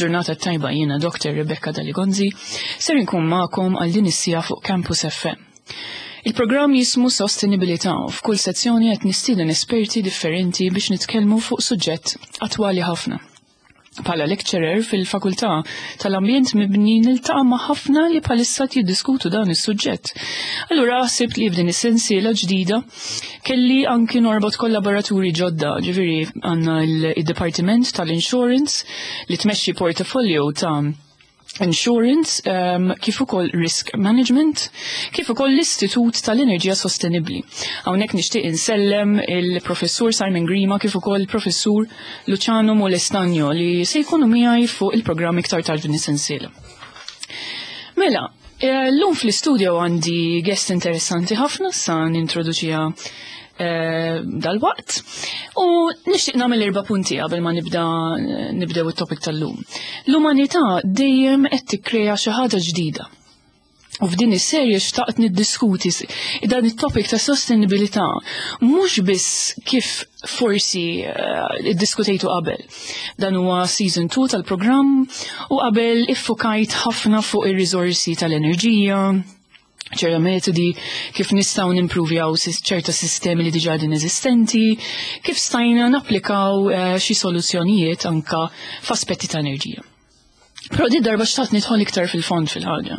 Il-ġurnata tajba jiena Dr. Rebecca Daligonzi, ser inkun magħkom għal din is-sija fuq Campus FM. Il-programm jismu Sostenibilità u f'kull sezzjoni qed nistieden esperti differenti biex nitkellmu fuq suġġett attwali ħafna. Bħala lecturer fil-Fakultà tal-Ambjent Mibni niltaqa' ma' ħafna li bħalissa jiddiskutu dan is-suġġett. Allura ħsibt li f'din is-sensiela ġdida kelli anki norbot kollaboraturi ġodda, ġifieri għandna il-Dipartiment tal-Insurance li tmexxi portafolio ta' insurance, kif ukoll risk management, kif ukoll l-Istitut tal-Enerġija Sostenibbli. Hawnhekk nixtieq insellem il-Professur Simon Grima kif ukoll il-Professur Luciano Molestagno li se jkunu miegħi fuq il-programm iktar tard din is-sensiela. Mela, llum fl-istudio għandi guest interessanti ħafna sa nintroduċiha dal-waqt. U nixtieq nagħmel erba' punti qabel ma nibda nibdew it-topic tal-lum. L-umanità dejjem qed tikkrea xi ħaġa ġdida. U f'din is-serje xtaqt niddiskuti dan it-topic ta' sostenibilità mhux biss kif forsi iddiskutejtu qabel. Dan huwa season 2 tal-programm u qabel iffukajt ħafna fuq ir-riżorsi tal-enerġija, ċerta metodi kif nistgħu nimpruvjaw ċerta sistemi li diġà din eżistenti, kif stajna napplikaw xi soluzzjonijiet anka f'aspetti ta' enerġija. Però di darba xtaqt nidħol iktar fil-fond fil-ħaġa.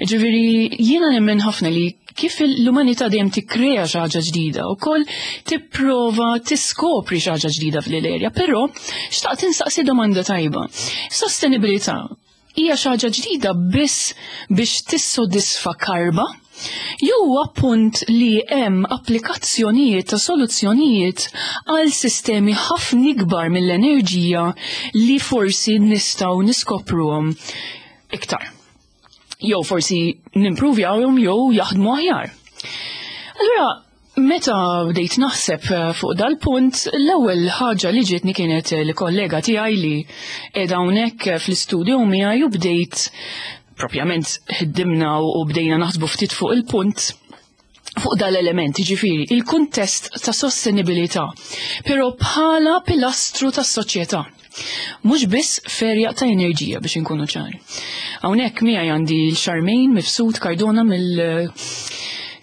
Ġifieri jiena nemmen ħafna li kif l-umanità dejjem tikkrea xi ħaġa ġdida wkoll tipprova tiskopri xi ħaġa ġdida fl-erja, però xtaqt insaqsi domanda tajba. Sostenibilità hija xi ħaġa ġdida biss biex tissodisfa karba jew huwa punt li hemm applikazzjonijiet ta' soluzzjonijiet għal sistemi ħafna ikbar mill-enerġija li forsi nistgħu niskopruhom iktar. Jew forsi nimpruvjawhom jew jaħdmu aħjar. Allura, meta bdejt naħseb fuq dal-punt, l-ewwel ħaġa li ġietni kienet li kollega tiegħi li qiegħda hawnhekk fl-istudio miegħi u bdejt propjament ħdimna u bdejna naħsbu ftit fuq il-punt fuq dal-element, ġifieri, il-kuntest ta' sostenibilità, però bħala pilastru tas-soċjetà. Mhux biss ferja ta' enerġija biex inkunu ċari. Hawnhekk miegħi għandi l-Charmaine Mifsud Cardona mill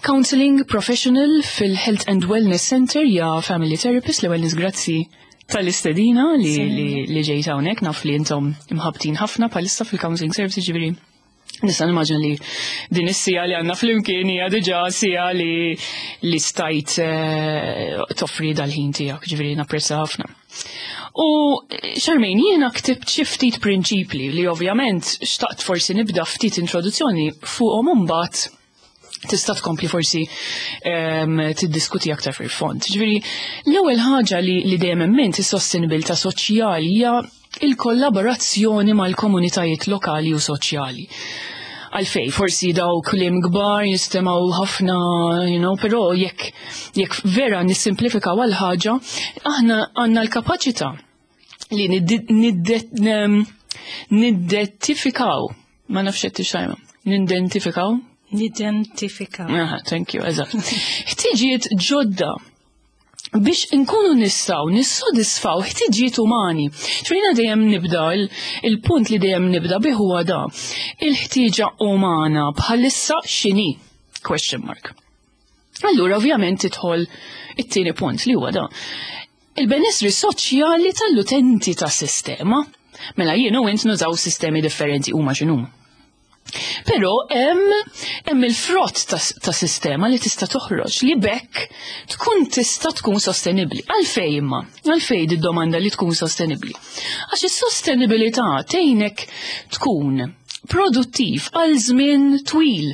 Counseling Professional fil-Health and Wellness Center ja Family Therapist l-ewwel grazzi tal-istedina li, li, li ġejt hawnhekk naf li intom imħabtin ħafna bħalissa fil-Counseling Services ġifieri Nista' nimmaġina li din is-sija li għandna flimkien hija diġà sija li li stajt toffri dal-ħin tiegħek, ġifieri napprezza ħafna. U Charmaine, jiena ktibt xi ftit prinċipli li ovvjament xtaqt forsi nibda ftit introduzzjoni fuqhom imbagħad tista' tkompli forsi tiddiskuti aktar fil-fond. Ġifieri, l-ewwel ħaġa li, li dejjem emmint is-sostenibilità soċjali hija il-kollaborazzjoni mal-komunitajiet lokali u soċjali. Għalfej, forsi daw kliem kbar jistemaw ħafna, you know, però jekk jekk vera nissimplifikaw għal ħaġa, aħna għandna l-kapaċità li nidentifikaw, ma nafx qed tixajma, nidentifikaw? Nidentifikaw. Aha, thank you, eżatt. Ħtiġijiet ġodda biex inkunu nistgħu nissodisfaw ħtiġijiet umani. Ċrina dejjem nibda, il-punt li dejjem nibda bih huwa da. Il-ħtieġa umana bħalissa x'inhi? Question mark. Allura ovvjament tidħol it-tieni punt li huwa da. Il-benessri soċjali tal-utenti tas-sistema. Mela jien u int nużaw sistemi differenti huma x'inhuma. Però hemm hemm il-frott ta' sistema li tista' toħroġ li bekk tkun tista' tkun sostenibbli. Għalfej imma? Għalfej di domanda li tkun sostenibbli? Għax is-sostenibilità tgħinek tkun produttiv għal żmien twil.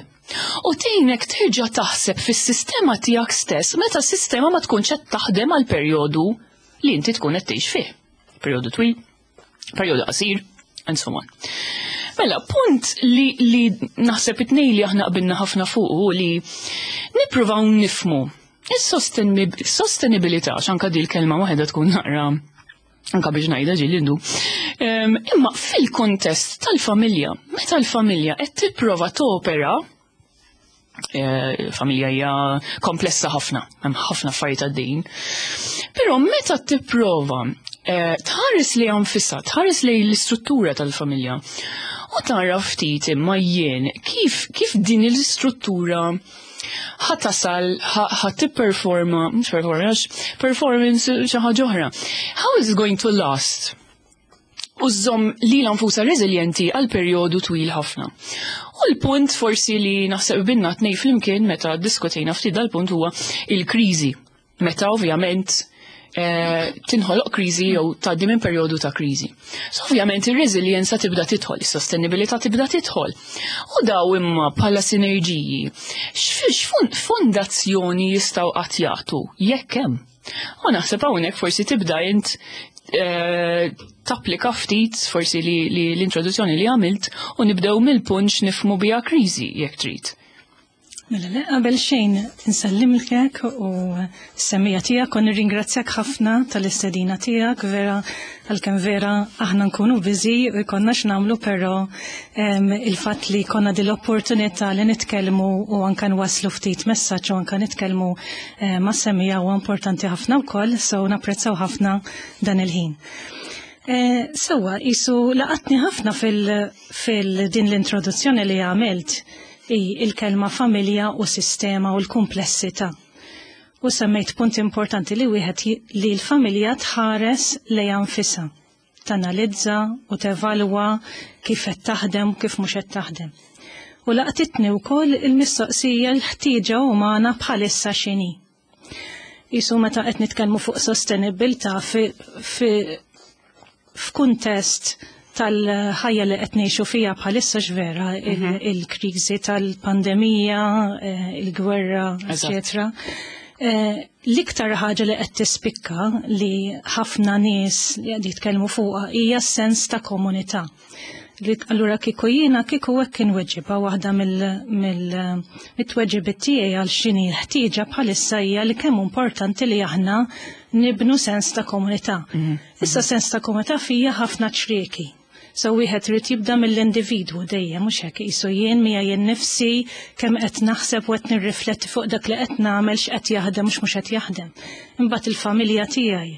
U tgħinek terġa' taħseb fis-sistema tiegħek stess meta s-sistema ma tkunx qed taħdem għal perjodu li inti tkun qed tgħix fih. Perjodu twil, perjodu qasir, and so on. Mela, punt li, li naħseb it-tnejn li aħna qbilna ħafna fuq u li nippruvaw nifmu is-sostenibilità, x'anka di l-kelma waħedha tkun naqra anka biex ngħidha ġieli ndu. Imma fil-kontest tal-familja, meta l-familja qed tipprova topera, familja hija komplessa ħafna, hemm ħafna affarijiet għaddejjin. Però meta tipprova Tħares lejha nfisha, tħares lejn l-istruttura tal-familja. U tara ftit imma jien kif din l-istruttura ħa tasal, ħa tipperforma, mhux performa, għax performance xi ħaġa oħra. How is it going to last? U żżomm lilha nfusha reżiljenti għal perjodu twil ħafna. U l-punt forsi li naħseb qbilna tnejn flimkien meta diskutejna ftit dal-punt huwa il-kriżi. Meta ovvjament tinħoloq kriżi jew tgħaddi minn perjodu ta' kriżi. So ovvjament ir-reżiljenza tibda tidħol, is-sostenibilità tibda tidħol. U daw imma bħala sinerġiji, x'fondazzjoni jistgħu qatt jagħtu jekk hemm? U naħseb hawnhekk forsi tibda int tapplika ftit forsi li l-introduzzjoni li għamilt u nibdew mill-punt x'nifhmu biha kriżi jekk trid. Mela, le, qabel xejn nsellimlek u s-semmiegħa tiegħek u nirringrazzjak ħafna tal-istedina tiegħek, vera għalkemm vera aħna nkunu busy u jkollna x'nagħmlu, però il-fatt li jkollna din l-opportunità li nitkellmu u anke nwasslu ftit messaġġ u anke nitkellmu ma' semmiegħa huwa importanti ħafna wkoll, so napprezzaw ħafna dan il-ħin. Sewa, isu laqatni ħafna fil-din l-introduzzjoni li għamilt i il-kelma familja u sistema u l-komplessità. U semmejt punt importanti li wieħed li l-familja tħares lejha nfisha, tanalizza u tevalwa kif qed taħdem u kif mhux qed taħdem. U laqtitni wkoll il-mistoqsija l-ħtieġa umana bħalissa x'inhi. Isu meta qed nitkellmu fuq sostenibilità f'kuntest tal-ħajja li qed ngħixu fiha bħalissa x'vera il-kriżi tal-pandemija, il-gwerra, eċetera. L-iktar ħaġa li qed tispikka li ħafna nies li qed jitkellmu fuqha hija s-sens ta' komunità. Li allura kieku jiena kieku hekk inweġibha waħda mit-tweġibiet tiegħi għal x'inhi l-ħtieġa bħalissa hija li kemm importanti li aħna nibnu sens ta' komunità. Issa sens ta' komunità fija ħafna ċrieki. So wieħed irid jibda mill-individwu dejjem, mhux hekk qisu jien mija jien nifsi kemm qed naħseb u qed nirrifletti fuq dak li qed nagħmel x'qed jaħdem mhux mhux qed jaħdem. Imbagħad il-familja tiegħi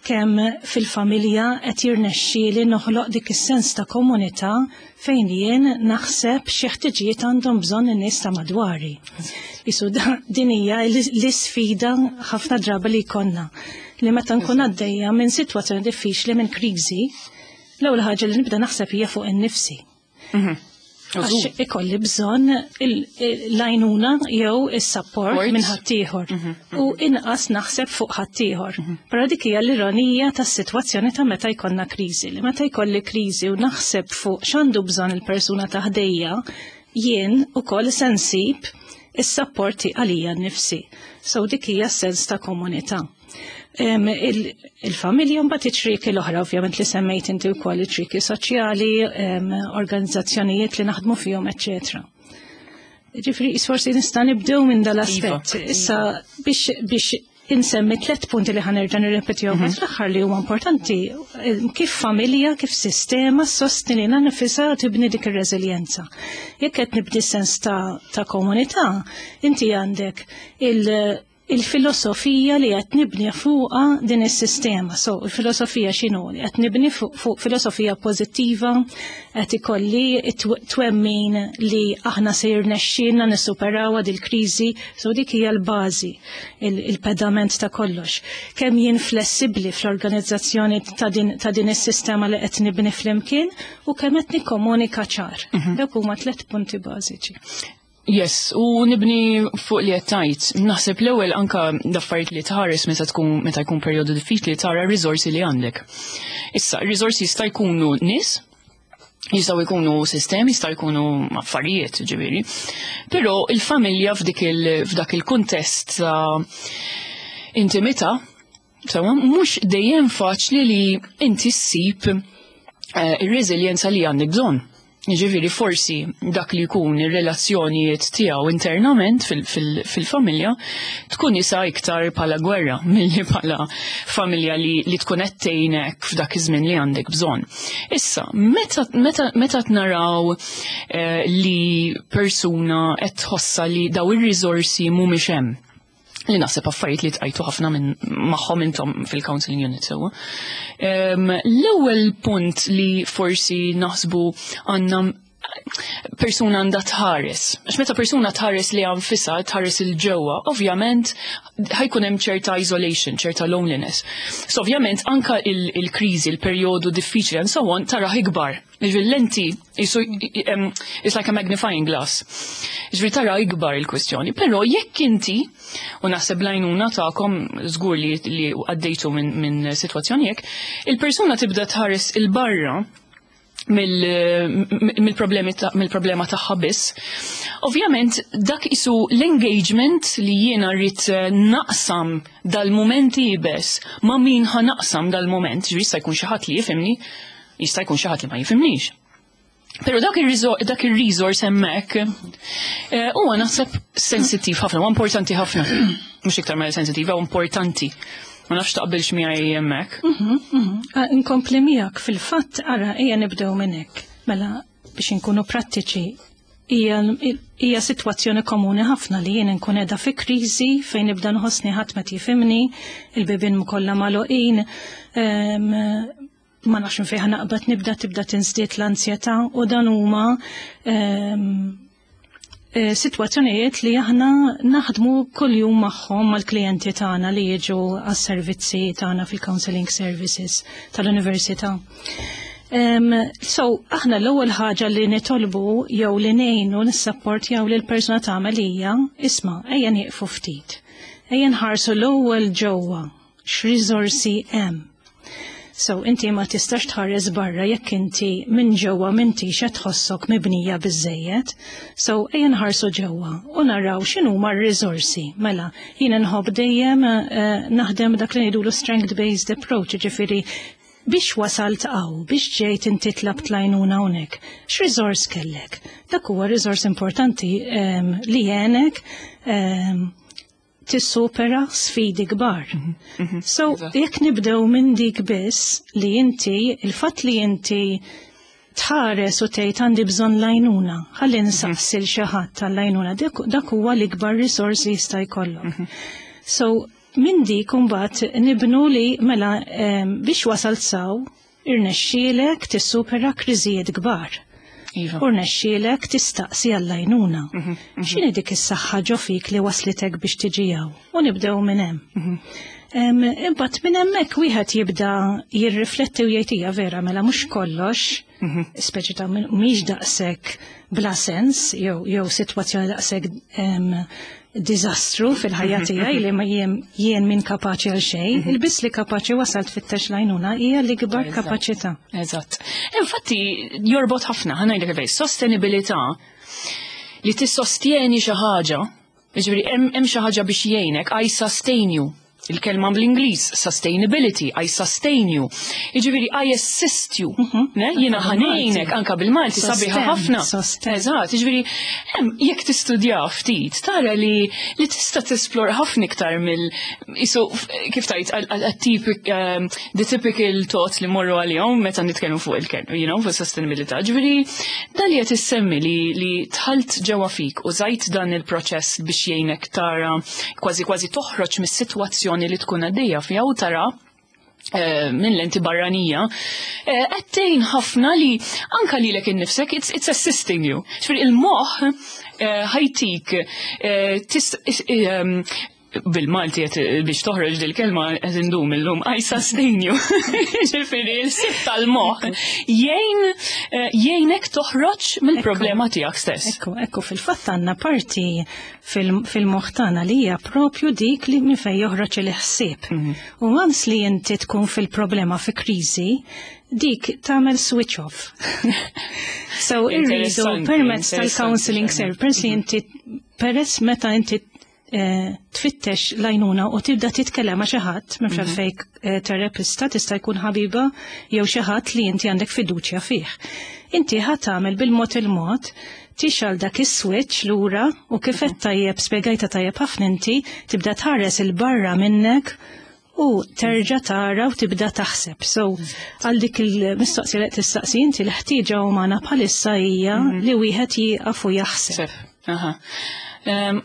kemm fil-familja qed jirnexxieli noħloq dik is-sens ta' komunità fejn jien naħseb xi ħtiġijiet għandhom bżonn in-nies ta' madwari. Isu din hija l-isfida ħafna drabi li jkollna li meta nkun għaddejja minn sitwazzjoni diffiċli minn kriżi, l-ewwel ħaġa li nibda naħseb hija fuq innifsi. Għax ikolli bżonn l-għajnuna jew is-support Support. minn ħaddieħor. U inqas naħseb fuq ħaddieħor. Però dik hija l-ironija tas-sitwazzjoni ta' meta jkollna kriżi. Li meta jkolli kriżi u naħseb fuq x'għandu bżonn il-persuna ta' ħdejja, jien ukoll se nsib is-supporti għalija nnifsi. So dik hija s-sens ta' komunità. Il-familja mbagħad iċ-ċrieki l-oħra, ovvjament li semmejt inti wkoll iċ-ċrieki soċjali, organizzazzjonijiet li naħdmu fihom, eċċetera. Ġifieri, forsi nista' nibdew minn dal-aspett. Issa biex insemmi tliet punti li ħanerġa' nirrepetihom fl-aħħar li huma importanti, kif familja, kif sistema ssostni lilha nifisha tibni dik ir-reżiljenza. Jekk qed nibdi sens ta' komunità, inti għandek il-filosofija li qed nibni fuqha din is-sistema. So, il-filosofija x'inhu? Li qed nibni fuq filosofija pożittiva, qed ikolli twemmin li aħna se jirnexxielna nissuperawha dil-kriżi, so dik hija l-bażi, il-pedament ta' kollox. Kemm jien flessibbli fl-organizzazzjoni ta' din is-sistema li qed nibni flimkien u kemm qed nikkomunika ċar. Dawk huma tliet punti bażiċi. Yes, u nibni fuq li qed tgħid. Naħseb l-ewwel anka l-affarijiet li tħares meta jkun perjodu diffiċli tara r-riżorsi li għandek. Issa, r-riżorsi jista' jkunu nies, jistgħu jkunu sistemi, jistgħu jkunu affarijiet, ġifieri. Però il-familja f'dak il-kuntest ta' intimità, sewa, mhux dejjem faċli li inti ssib ir-reżiljenza li għandek bżonn. Ġifieri forsi dak li jkun ir-relazzjonijiet tiegħu internament fil-familja tkun isa iktar bħala gwerra milli bħala familja li tkun qed tgħinek f'dak iż-żmien li għandek bżonn. Issa, meta naraw li persuna qed tħossa li daw ir-riżorsi mhumiex hemm. Li naħseb affarijiet li tqajtu ħafna minn magħhom intom fil-counseling unit sewwa. L-ewwel punt li forsi naħsbu għandna persuna għandha tħares. Għax meta persuna tħares li nfisha, tħares 'il ġewwa, ovvjament ħa jkun hemm ċerta isolation, ċerta loneliness. So ovvjament anka il-kriżi, il-perjodu diffiċli and so on, tara ikbar. Ġifieri lenti, it's like a magnifying glass. Ġifieri tara ikbar il-kwestjoni. Però jekk inti, u naħseb l-għajnuna tagħkom żgur li għaddejtu minn sitwazzjoni hekk, il-persuna tibda tħares 'il barra mill-problema tagħha biss. Ovvjament dak isu l-engagement li jiena rrid naqsam dal-moment iebes ma' min ħa naqsam dal-moment, ġifieri jista' jkun xi ħadd li jifhimni, jista' jkun xi ħadd li ma jifhimnix. Pero dak il-resource hemmhekk huwa naħseb sensittiv ħafna, huwa importanti ħafna. Mhux iktar ma sensittiv, huwa importanti. Ma nafx taqbilx miegħi hemmhekk. Ah, inkompli miegħek fil-fatt ara ejja nibdew minn hekk. Mela biex inkunu prattiċi hija sitwazzjoni komuni ħafna li jien nkun qiegħda fi kriżi fejn nibda nħossni ħadd ma jifhimni, il-bibien kollha magħluqin, ma nafx fejn naqbad nibda tibda tiżdied l-ansjetà u dan huma sitwazzjonijiet li aħna naħdmu kuljum magħhom mal-klijenti tagħna li jiġu għas-servizzi tagħna fil-counseling services tal-università. So, aħna l-ewwel ħaġa li nitolbu jew li ngħinu nissapportjaw lil persuna tagħmel hija, isma' ejja nieqfu ftit. Ejja nħarsu l-ewwel ġewwa x'riżorsi hemm. So, inti ma tistax tħares barra jekk inti minn ġewwa m'intix qed tħossok mibnija biżejjed. So, ejja nħarsu ġewwa u naraw x'inhuma r-riżorsi. Mela, jiena nħobb dejjem naħdem dak li ngħidulu strength-based approach, ġifieri biex wasalt hawn, biex ġejt inti tlabt l-għajnuna hawnhekk. X'riżors kellek? Dak huwa riżors importanti li għenek tissupera sfidi kbar. So, jekk nibdew minn dik biss li inti, il-fatt li inti tħares u tgħid għandi bżonn l-għajnuna, ħalli nsaqsi 'l xi ħadd tal-għajnuna, dak huwa l-ikbar risorsi jista' jkollok. So, minn dik imbagħad nibnu li mela biex wasalt s'hawn irnexxielek tissupera kriżijiet kbar. U rnexxielek tistaqsi għall-għajnuna. X'inhi dik is-saħħa ġo fik li waslitek biex tiġi hawn? U nibdew minn hemm. Imbagħad minn hemmhekk wieħed jibda jirrifletti u jgħid hija vera mela mhux kollox, speċi ta' mhix daqshekk bla sens jew sitwazzjoni daqshekk diżastru fil-ħajja tiegħi li ma jien min kapaċi għal xejn, il-biss li kapaċi wasalt tfittex l-għajnuna hija l-ikbar kapaċità. Eżatt. Infatti jorbot ħafna, ħa ngħidlek kif sostenibilità li tissostjeni xi ħaġa, jiġifieri hemm xi ħaġa biex jgħinek, I sustain you. Il-kelma bl-Ingliż, sustainability, I sustain you. Jiġifieri I assist you. Ne? Jiena ħa ngħinek anka bil-Malti sabiħa ħafna. Eżatt, jiġifieri hemm jekk tistudja ftit, tara li tista' tesplora ħafna iktar mill isu kif tajt the typical thoughts li morru għalihom meta nitkellmu fuq il-kelma, fuq sustainability. Ġifieri dan li qed issemmi li dħalt ġewwa fik u użajt dan il-proċess biex jgħinek tara kważi kważi toħroġ mis-sitwazzjoni li tkun għaddejja fiha u tara minn lenti barranija, qed tgħin ħafna li anka lilek innifsek it's assisting you. Ġifieri il-moħħ ħa jtik bil-Malti qed biex toħroġ dil-kelma qed indum illum I sustain you. Ġifieri l-sitt tal-moħħ jgħinek toħroġ mill-problema tiegħek stess. Ekku, fil-fatt għandna parti fil-moħħ tagħna li hija propju dik li minn fejn joħroġ il-ħsieb. U once li inti tkun fil-problema fi kriżi, dik tagħmel switch off. So irridu permezz tal-counseling service, peress li inti peress meta inti tfittex l-għajnuna u tibda titkellem ma' xi ħadd, m'hemmx għalfejn terapista, tista' jkun ħabiba jew xi ħadd li inti għandek fiduċja fih. Inti ħa tagħmel bil-mod il-mod tixgħel dak is-switch lura u kif qed tajjeb spjegajta tajjeb ħafna inti tibda tħares 'il barra minnek u terġa' tara u tibda taħseb. So, għal dik il-mistoqsija li tistaqsi inti l-ħtieġa umana bħalissa hija li wieħed jieqaf u jaħseb. Aha.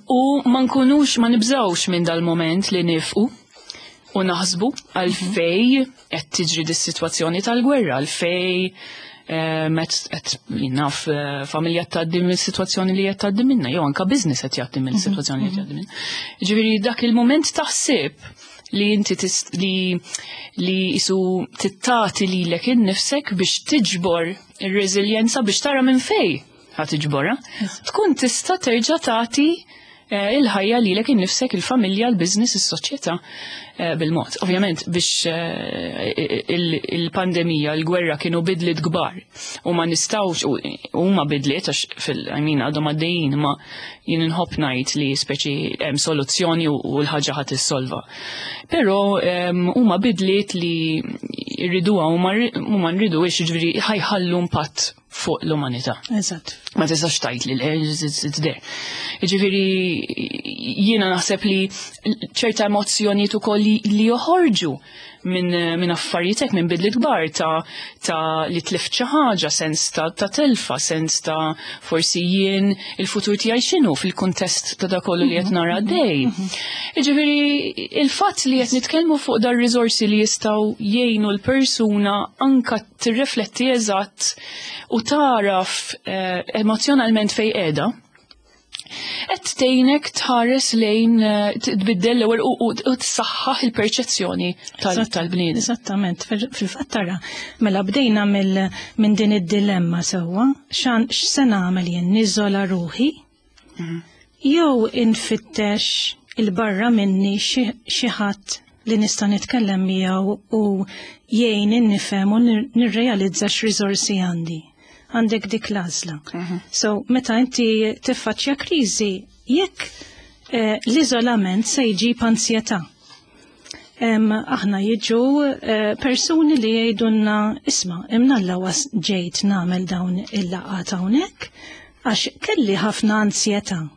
U ma nkunux, ma nibżawx minn dal-moment li nifqu u naħsbu għalfej qed tiġri dis-sitwazzjoni tal-gwerra, għalfej qed naf familja tgħaddi mill-sitwazzjoni li qed tgħaddi minnha, jew anka business qed jgħaddi mill-sitwazzjoni li qed jgħaddi minnha. Ġifieri dak il-moment taħsib li inti li jisu tittati lilek innifsek biex tiġbor ir-reżiljenza biex tara minn fej ħa tiġborha, tkun tista' terġa' tagħti il-ħajja lilek innifsek, il-familja, il-business, is-soċjetà bil-mod. Ovvjament biex il-pandemija, il-gwerra kienu bidliet kbar u ma nistgħux u huma bidliet għax fil I mean għadhom għaddejjin, ma jien inħobb ngħid li speċi hemm soluzzjoni u l-ħaġa ħadd issolva. Però huma bidliet li rriduha u ma nriduhiex, jiġifieri ħajħallu impatt fuq l-umanità. Ma tistax tgħid li le, it's there. Jiġifieri jiena naħseb li ċerta emozzjonijiet ukoll li joħorġu minn affarijiet minn bidliet kbar ta' li tlift xi ħaġa, sens ta' telfa, sens ta' forsi jien il-futur tiegħi x'inhu fil-kuntest ta' dak kollu li qed nara għaddej. Jiġifieri il-fatt li qed nitkellmu fuq dar riżorsi li jistgħu jgħinu l-persuna anka tirrifletti eżatt u taraf emozjonalment fej qiegħda, qed tgħinek tħares lejn tbiddel l-ewwel u tsaħħaħ il-perċezzjoni tal-bniedem. Eżattament, fil-fatt tara, mela bdejna minn din id-dilemma sewwa, x'se nagħmel jien, niżola ruħi jew infittex il-barra minni xi ħadd li nista' nitkellem miegħu u jgħin nifhem u nirrealizza x'riżorsi għandi. Għandek dik l-għażla. So, meta inti tiffaċċja kriżi, jekk l-iżolament se jġib ansjetà. Aħna jiġu persuni li jgħidulna, isma', imnalla was ġejt nagħmel dawn il-laqgħat hawnhekk għax kelli ħafna ansjetà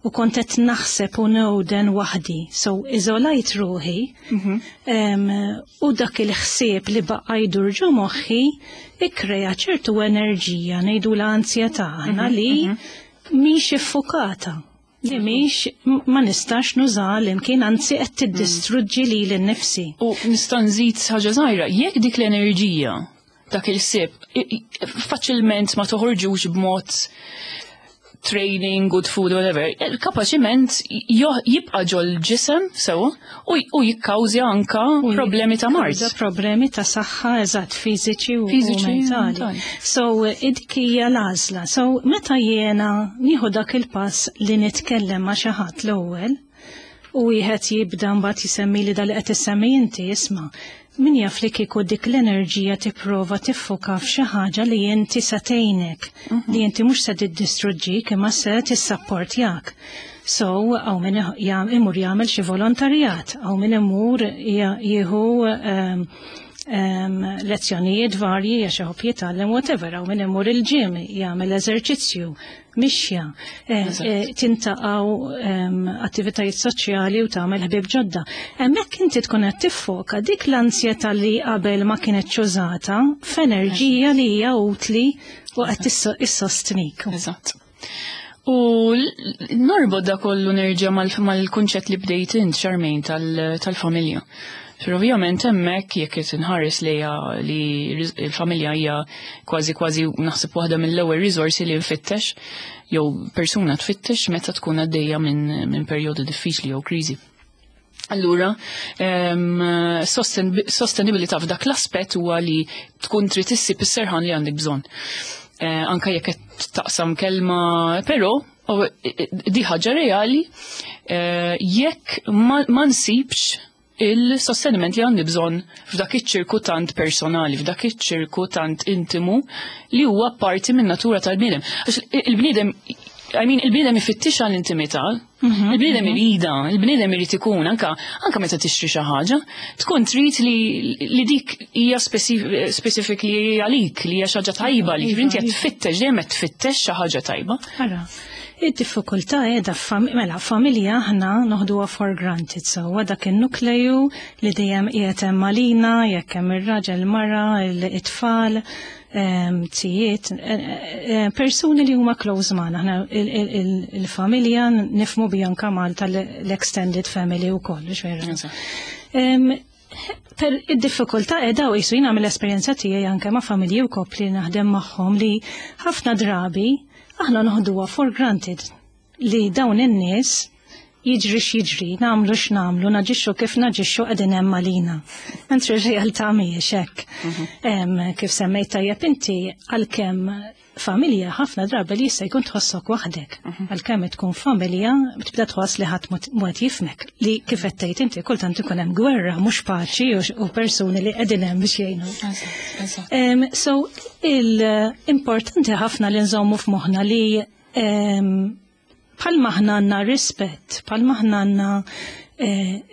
u kont qed naħseb u newden waħdi. So, iżolajt ruħi, u dak il-ħsieb li baqa' jdur ġo moħħi ikkrea ċertu enerġija, ngħidu l-ansjetà aħna li mhix iffukata, li mhix ma nistax nuża l-imkien, anzi qed tiddistruġġi lili nnifsi. U nista' nżid ħaġa żgħira, jekk dik l-enerġija, dak il-ħsieb, faċilment ma toħorġux b'mod training, good food, whatever, kapaċiment jibqa' ġol ġisem sew u jikkawżja anka U problemi ta' mard. jikkawża problemi ta' saħħa, eżatt, fiżiċi u Fiżiċi u mentali. mentali. So, dik hija l-għażla. So, meta jiena nieħu dak il-pass li nitkellem ma' xi ħadd l-ewwel, u wieħed jibda mbagħad jisemmi li dal qed issemmi inti, isma', min jaf li kieku dik l-enerġija tipprova tiffoka f'xi ħaġa li inti se tgħinek, li inti mhux se tiddistruġġik imma se tissapportjak. So, hawn min imur jagħmel xi volontarjat, hawn min imur jieħu lezzjonijiet varji għax iħobb jitgħallem whatever, hawn min imur il-gym jagħmel eżerċizzju, mixja, tintaqgħu attivitajiet soċjali u tagħmel ħbieb ġodda. Hemmhekk inti tkun qed tiffoka dik l-ansjetà li qabel ma kienet użata f'enerġija li hija utli u qed issostnik. Eżatt. U norbod da kollu nerġa' mal-kunċett li bdejt int, Charmaine, tal-familja. Pero ovvjament hemmhekk jekk qed inħares lejha li il-familja hija kważi kważi naħseb waħda mill-ewwel riżorsi li nfittex jew persuna tfittex meta tkun għaddejja minn perjodu diffiċli jew kriżi. Allura, sostenibilità f'dak l-aspett huwa li tkun trid issib is-serħan li għandek bżonn. Anka jekk qed taqsam kelma, però di ħaġa reali, jekk ma nsibx il-sosteniment li għandi bżonn f'dak iċ-ċirku tant personali, f'dak iċ-ċirku tant intimu li huwa parti minn natura tal-bniedem. Għax il-bniedem, I mean, il-bniedem ifittix għall-intimità, il-bniedem irida, il-bniedem irid ikun, anka meta tixtri xi ħaġa, tkun trid li dik hija specifically għalik, li hija xi ħaġa tajba li inti qed tfittex, dejjem qed tfittex xi ħaġa tajba. Ara, Id-diffikultà qiegħda mela familja aħna noħduha for granted sewwa dak in-nukleju li dejjem qiegħed hemm għalina jekk hemm ir-raġel, mara, it-tfal, tijiet, persuni li huma close magħna. Aħna il-familja nifhmu bi anka Malta l-extended family wkoll, vera. Per id-diffikultà qiegħda u jisu jiena mill-esperjenza tiegħi anke ma' familji u koppli naħdem magħhom li ħafna drabi aħna noħduha for granted li dawn in-nies jiġri x'jiġri, nagħmlu x'nagħmlu, naġixxu kif naġixxu qegħdin hemm għalina. Mentri r-realtà mhijiex hekk. Kif semmejt tajjeb inti għalkemm familja ħafna drabi li jista' jkun tħossok waħdek. Għalkemm tkun familja tibda tħoss li ħadd mod jifhmek li kif qed tgħid inti kultant ikun hemm gwerra mhux paċi u persuni li qegħdin hemm biex jgħinu. So il-importanti ħafna li nżommu f'moħħna li bħalma aħna għandna rispett, bħalma aħna għandna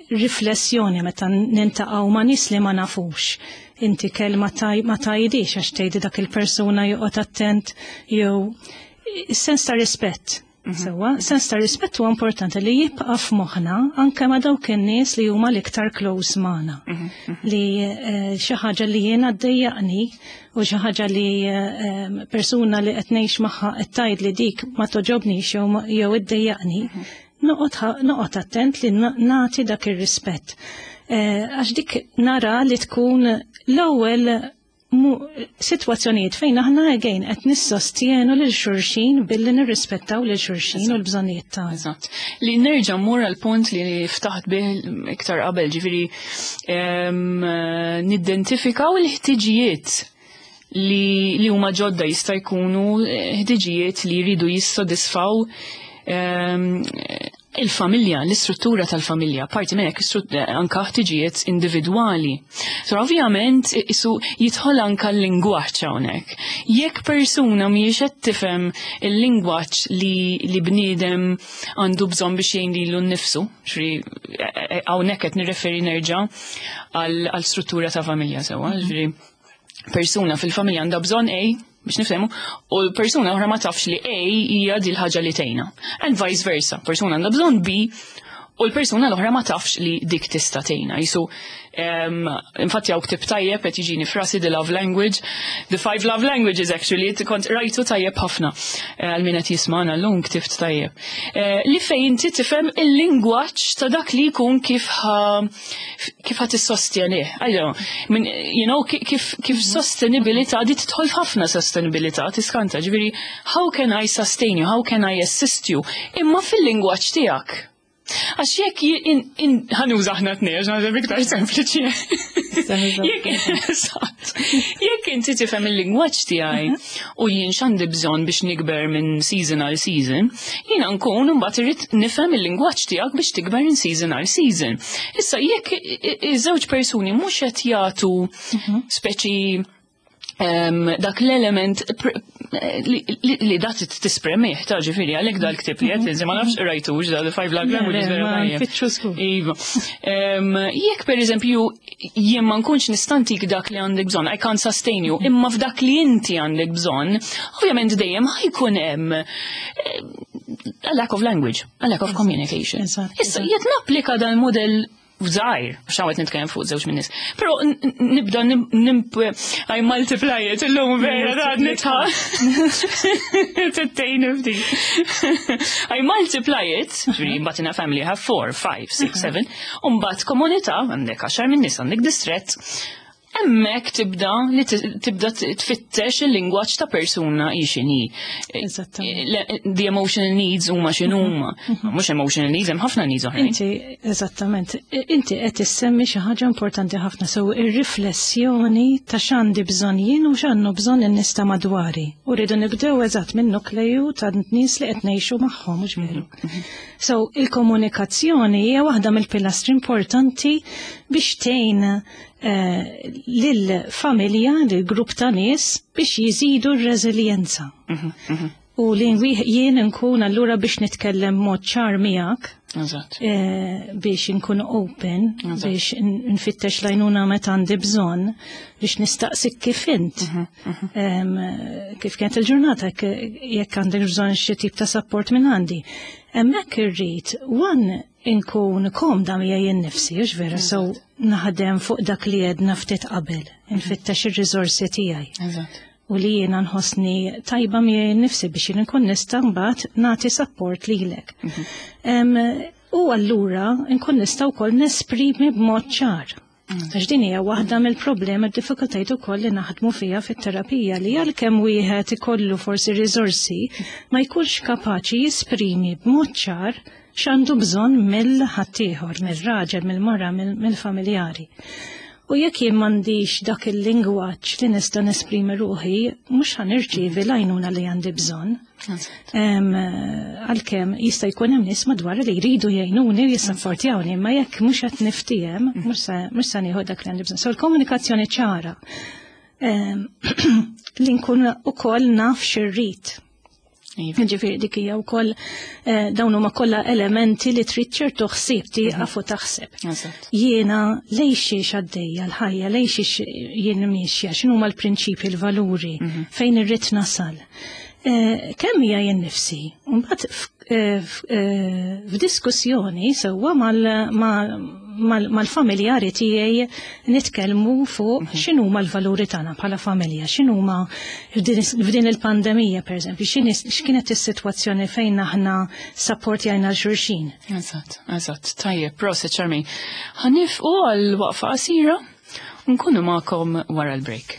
riflessjoni meta niltaqgħu ma' nies li ma nafux. Inti kelma ma tgħidix għax tgħidi dak il-persuna joqgħod attent jew sens ta' rispett. Sewwa, sens ta' rispett huwa importanti li jibqa' f'moħħna anke ma' dawk in-nies li huma l-iktar close magħna. Li xi ħaġa li jiena ddejjaqni u xi ħaġa li persuna li qed ngħix magħha qed tgħid li dik ma toġobnix jew iddejjaqni, noqgħod attent li nagħti dak ir-rispett. Għax dik nara li tkun l-ewwel sitwazzjonijiet fejn aħna again qed nissostjenu lil xulxin billi nirrispettaw lil xulxin u l-bżonnijiet tagħna. Eżatt. Li nerġa' mmur għal punt li ftaħt bih iktar qabel, ġifieri nidentifikaw il-ħtiġijiet li huma ġodda, jista' jkunu ħtiġijiet li jridu jissodisfaw il-familja, l-istruttura tal-familja, parti minn hekk anka ħtiġijiet individwali. So ovvjament isu jidħol anka l-lingwaġġ hawnhekk. Jekk persuna mhijiex qed tifhem il-lingwaġġ li bniedem għandu bżonn biex jgħin lilu nnifsu, xri hawnhekk qed nirreferi nerġa' għal struttura ta' familja sewwa, ġifieri persuna fil-familja għandha bżonn A biex nifhemu, u l-persuna oħra ma tafx li A hija di l-ħaġa li tgħinha. And vice versa, persuna għandha bżonn B u l-persuna l-oħra ma tafx li dik tista' tgħinha. Jisu, infatti hawn ktieb tajjeb qed jiġini f'rasi, The Love Language, The Five Love Languages actually, kont rajtu tajjeb ħafna għal min qed jismana llum, ktibt tajjeb. Li fejn inti tifhem il-lingwaġġ ta' dak li jkun kif ħa tissostjenih. Ejja, min, kif sostenibilità, di tidħol f'ħafna sostenibilità, tiskanta, ġifieri, how can I sustain you, how can I assist you, imma fil-lingwaġġ tiegħek. Għax jekk ħa nuża aħna t-tnejn, għax naħseb iktar sempliċi. Eżatt. Jekk inti tifhem il-lingwaġġ tiegħi u jien x'għandi bżonn biex nikber minn season għal season, jiena nkun mbagħad irrid nifhem il-lingwaġġ tiegħek biex tikber minn season għal season. Issa jekk iż-żewġ persuni mhux qed jagħtu speċi dak l-element li dat tispremih, ta' ġifieri, għalek dal-ktieb li għedt, ma nafx rajtux, da' The Five Love Languages, vera tajjeb. Iva. Jekk per eżempju jien ma nkunx nista' ntik dak li għandek bżonn, I can't sustain you, imma f'dak li inti għandek bżonn, ovvjament dejjem ħa jkun hemm a lack of language, a lack of communication. Issa, jekk napplika dan model żgħir, għax hawn qed nitkellem fuq żewġ min-nies. Però nibda I multiply it illum vera da nitħa. Tittejn ftit. I multiply it, ġifieri mbagħad in a family have four, five, six, seven, u mbagħad komunità għandek 10 min-nies, għandek distret. Hemmhekk tibda li tibda tfittex il-lingwaġġ ta' persuna hi x'inhi. The emotional needs huma x'inhuma. Mhux emotional needs, hemm ħafna needs oħrajn. Inti, eżattament, inti qed issemmi xi ħaġa importanti ħafna, so ir-riflessjoni ta' x'għandi bżonn jien u x'għandu bżonn in-nies ta' madwari. U rridu nibdew eżatt minn nukleju ta' nies li qed ngħixu magħhom, mhux veru. So il-komunikazzjoni hija waħda mill-pilastri importanti biex tgħin lill-familja, lill-grupp ta' nies biex jiżidu r-reżiljenza. U li jien nkun allura biex nitkellem mod ċar miegħek. Biex nkun open, biex nfittex lajnuna meta għandi bżonn, biex nistaqsik kif int. Kif kienet il-ġurnata, jekk għandek bżonn xi tip ta' support minn għandi. Hemmhekk irrid one inkun komda miegħi jien nnifsi, hux vera, so naħdem fuq dak li għedna ftit qabel, infittex ir-riżorsi tiegħi. U li jiena nħossni tajba miegħi nnifsi biex jien nkun nista' mbagħad nagħti support lilek. U allura nkun nista' wkoll nesprimi b'mod ċar. Għax din hija waħda mill-problemi d-diffikultajiet ukoll li naħdmu fiha fit-terapija li għalkemm wieħed ikollu forsi riżorsi ma jkunx kapaċi jesprimi b'mod ċar x'għandu bżonn mill-ħaddieħor, mill-raġel, mill-mara, mill-familjari. U jekk jien m'għandix dak il-lingwaġġ li nista' nesprimi ruħi, mhux ħa nirċievi l-għajnuna li għandi bżonn. Għalkemm jista' jkun hemm nies madwar li jridu jgħinuni u jissapportjawni, imma jekk mhux qed niftiehem, mhux se nieħu dak li għandi bżonn. So l-komunikazzjoni ċara li nkun ukoll naf x'irrid. Ġifieri dik hija wkoll dawn huma kollha elementi li trid ċertu ħsieb tieqaf u taħseb. Jiena lejn xiex għaddejja l-ħajja, lejn xiex jien miexja, x'inhuma l-prinċipji, l-valuri, fejn irrid nasal. Kemm hija jien nifsi? Mbagħad f'diskussjoni sewwa mal-familjari tiegħi nitkellmu fuq x'inhuma l-valuri tagħna bħala familja, x'inhuma f'din il-pandemija pereżempju, x'kienet is-sitwazzjoni fejn aħna sapportjajna l xulxin. Eżatt, eżatt, tajjeb, proset Charmaine. Ħa nifqu għal waqfa qasira u nkunu magħkom wara l-break.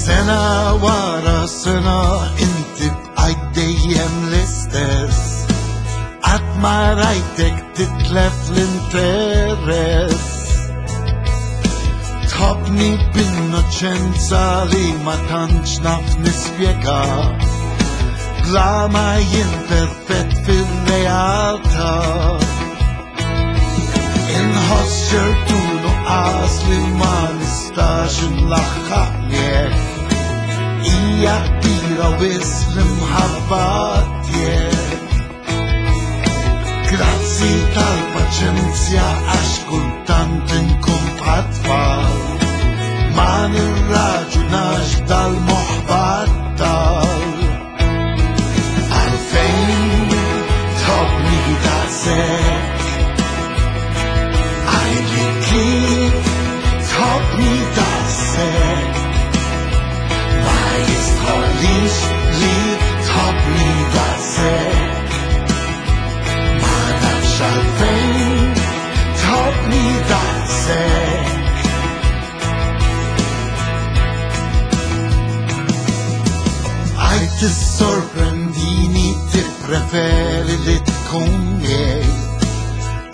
Sena wara sena inti bqajt dejjem l-istess, qatt ma rajtek titlef l-interess. Tħobbni b'innoċenza li ma tantx naf nispjega, bla ma jien perfett fil-realtà. Inħoss ċertu nuqqas li ma nistax inlaħħaq miegħek, hija kbira wisq l-imħabba tiegħek. Grazzi tal-paċenzja għax kultant inkun bħat-tfal, ma nirraġunax dal-moħħ battal. Għalfejn tħobbni daqshekk, għidli kif tħobbni daqshekk, ma jistħollix li tħobbni daqshekk, ma nafx għalfejn tħobbni daqshekk. Għajt tissorprendini, tippreferi li tkun miegħi,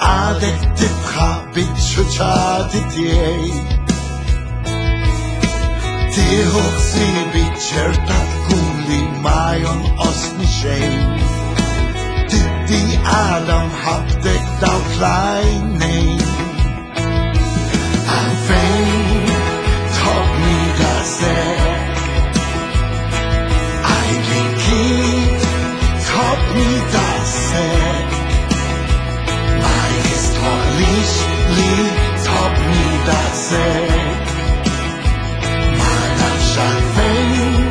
għadek titħaq biċ-ċuċati tiegħi. Tieħu ħsiebi ċerta tkun li ma jonqosni xejn, tiddi għala mħabbtek dawk l-għajnejn. Għalfejn tħobbni daqshekk, għidli kif tħobbni daqshekk, ma jistħoqlix li tħobbni daqshekk, ma nafx għalfejn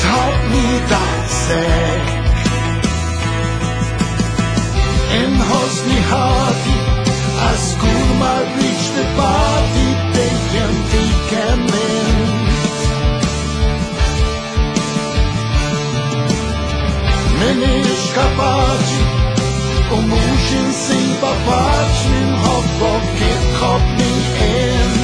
tħobbni daqshekk. Inħossni ħati għax żgur ma rridx nibati dejjem fik emmint. M'iniex kapaċi u mhux insibha faċli nħobbok kif tħobbni int.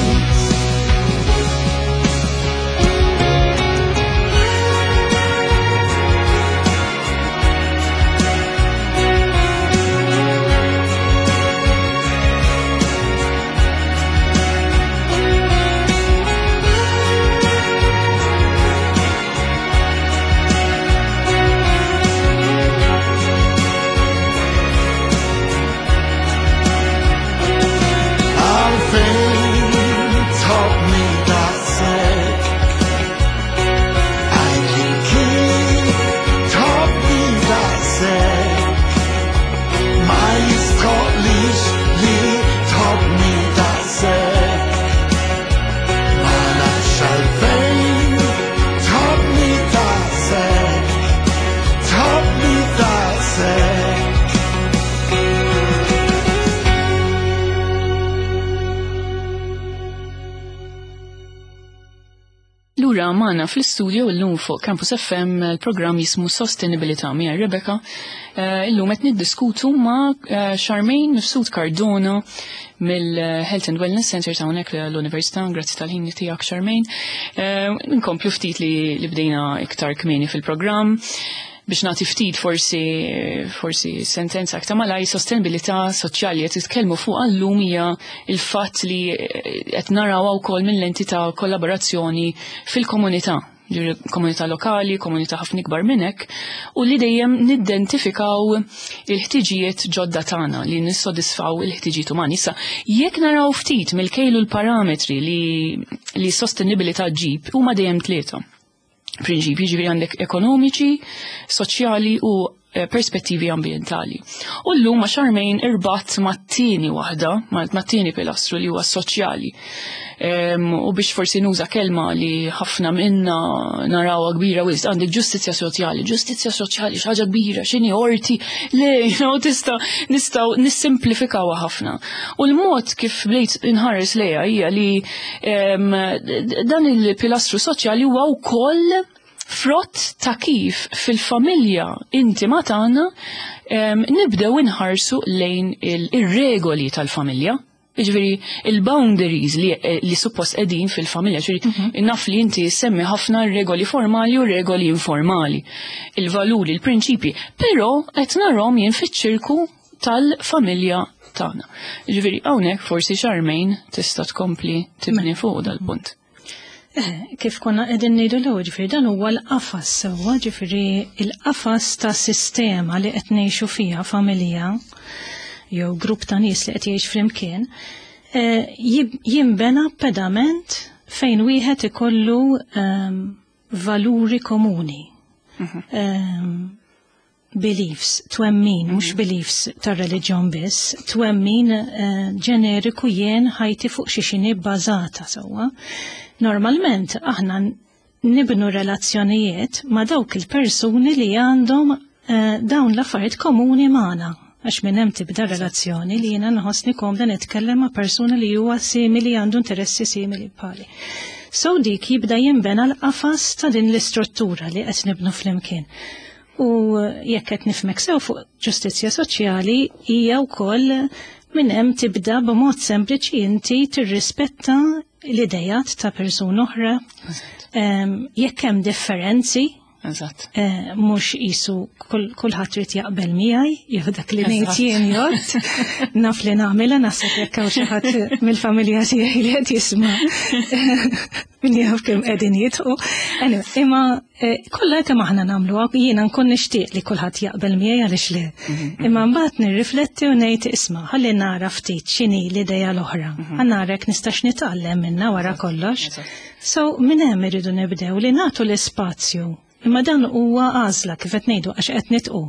magħna fl-istudio llum fuq Campus FM il-programm jismu Sostenibilità miegħi Rebecca. Illum qed niddiskutu ma' Charmaine Mifsud Cardona mill-Health and Wellness Center ta' hawnhekk l-Università. Grazzi tal-ħin tiegħek, Charmaine. Nkomplu ftit li bdejna iktar kmieni fil-programm biex nagħti ftit forsi sentenza aktar malaj. Sostenibilità soċjali qed titkellmu fuq għallum hija il-fatt li qed naraw wkoll mill-lenti ta' kollaborazzjoni fil-komunità, komunità lokali, komunità ħafna ikbar minn hekk, u li dejjem nidentifikaw il-ħtiġijiet ġodda tagħna li nissodisfaw il-ħtiġijiet umani. Issa, jekk naraw ftit mill-kejlu l-parametri li sostenibilità ġib, huma dejjem tlieta prinċipji, ġifieri għandek ekonomiċi, soċjali u perspettivi ambientali. U llum ma' Charmaine irbat mat-tieni waħda, mat-tieni pilastru li huwa soċjali. U biex forsi nuża kelma li ħafna minna narawha kbira wisq, għandek ġustizzja soċjali, ġustizzja soċjali xi ħaġa kbira, x'inhi orti, le, tista' nistgħu nissimplifikawha ħafna. U l-mod kif bdejt inħares lejha hija li dan il-pilastru soċjali huwa wkoll frott ta' kif fil-familja intima tagħna nibdew inħarsu lejn ir-regoli tal-familja. Jiġifieri il-boundaries li suppost qegħdin fil-familja, ġifieri naf li inti semmi ħafna regoli formali u regoli informali, il-valuri, il-prinċipi, però qed narhom jien fiċ-ċirku tal-familja tagħna. Ġifieri hawnhekk forsi Charmaine tista' tkompli tibni fuq dal-punt. Kif konna qegħdin ngħidu l-ewwel, ġifieri dan huwa l-qafas sewwa, ġifieri il-qafas ta' sistema li qed ngħixu fiha, familja jew grupp ta' nies li qed jgħix flimkien, jinbena pedament fejn wieħed ikollu valuri komuni. Beliefs, twemmin, mhux beliefs tar-reliġjon biss, twemmin ġeneriku, jien ħajti fuq xi xini bbażata sewwa. Normalment aħna nibnu relazzjonijiet ma' dawk il-persuni li għandhom dawn l-affarijiet komuni magħna, għax minn hemm tibda relazzjoni li jiena nħossni komda nitkellem ma' persuna li huwa simili, għandu interessi simili bħali. So dik jibda jinbena l-qafas ta' din l-istruttura li qed nibnu flimkien. U jekk qed nifhmek sew fuq ġustizzja soċjali, hija wkoll minn hemm tibda b'mod sempliċi inti tirrispetta l-idejat ta' persuna oħra. Jekk hemm differenzi, mhux qisu kulħadd trid jaqbel miegħi, jew dak li ngħid jien jgħod, naf li nagħmilha, naħseb jekk hawn xi ħadd mill-familja tiegħi li qed jisma' min jaf kemm qegħdin jidħu. Anyway, imma kollha kemm aħna nagħmluha, jiena nkun nixtieq li kulħadd jaqbel miegħi, għaliex le. Imma mbagħad nirrifletti u ngħid, isma', ħalli nara ftit x'inhi l-idea l-oħra. Ħa nara jekk nistax nitgħallem minnha wara kollox. So minn hemm irridu nibdew li nagħtu l-ispazju. Imma dan huwa għażla, kif qed ngħidu, għax qed nitqu.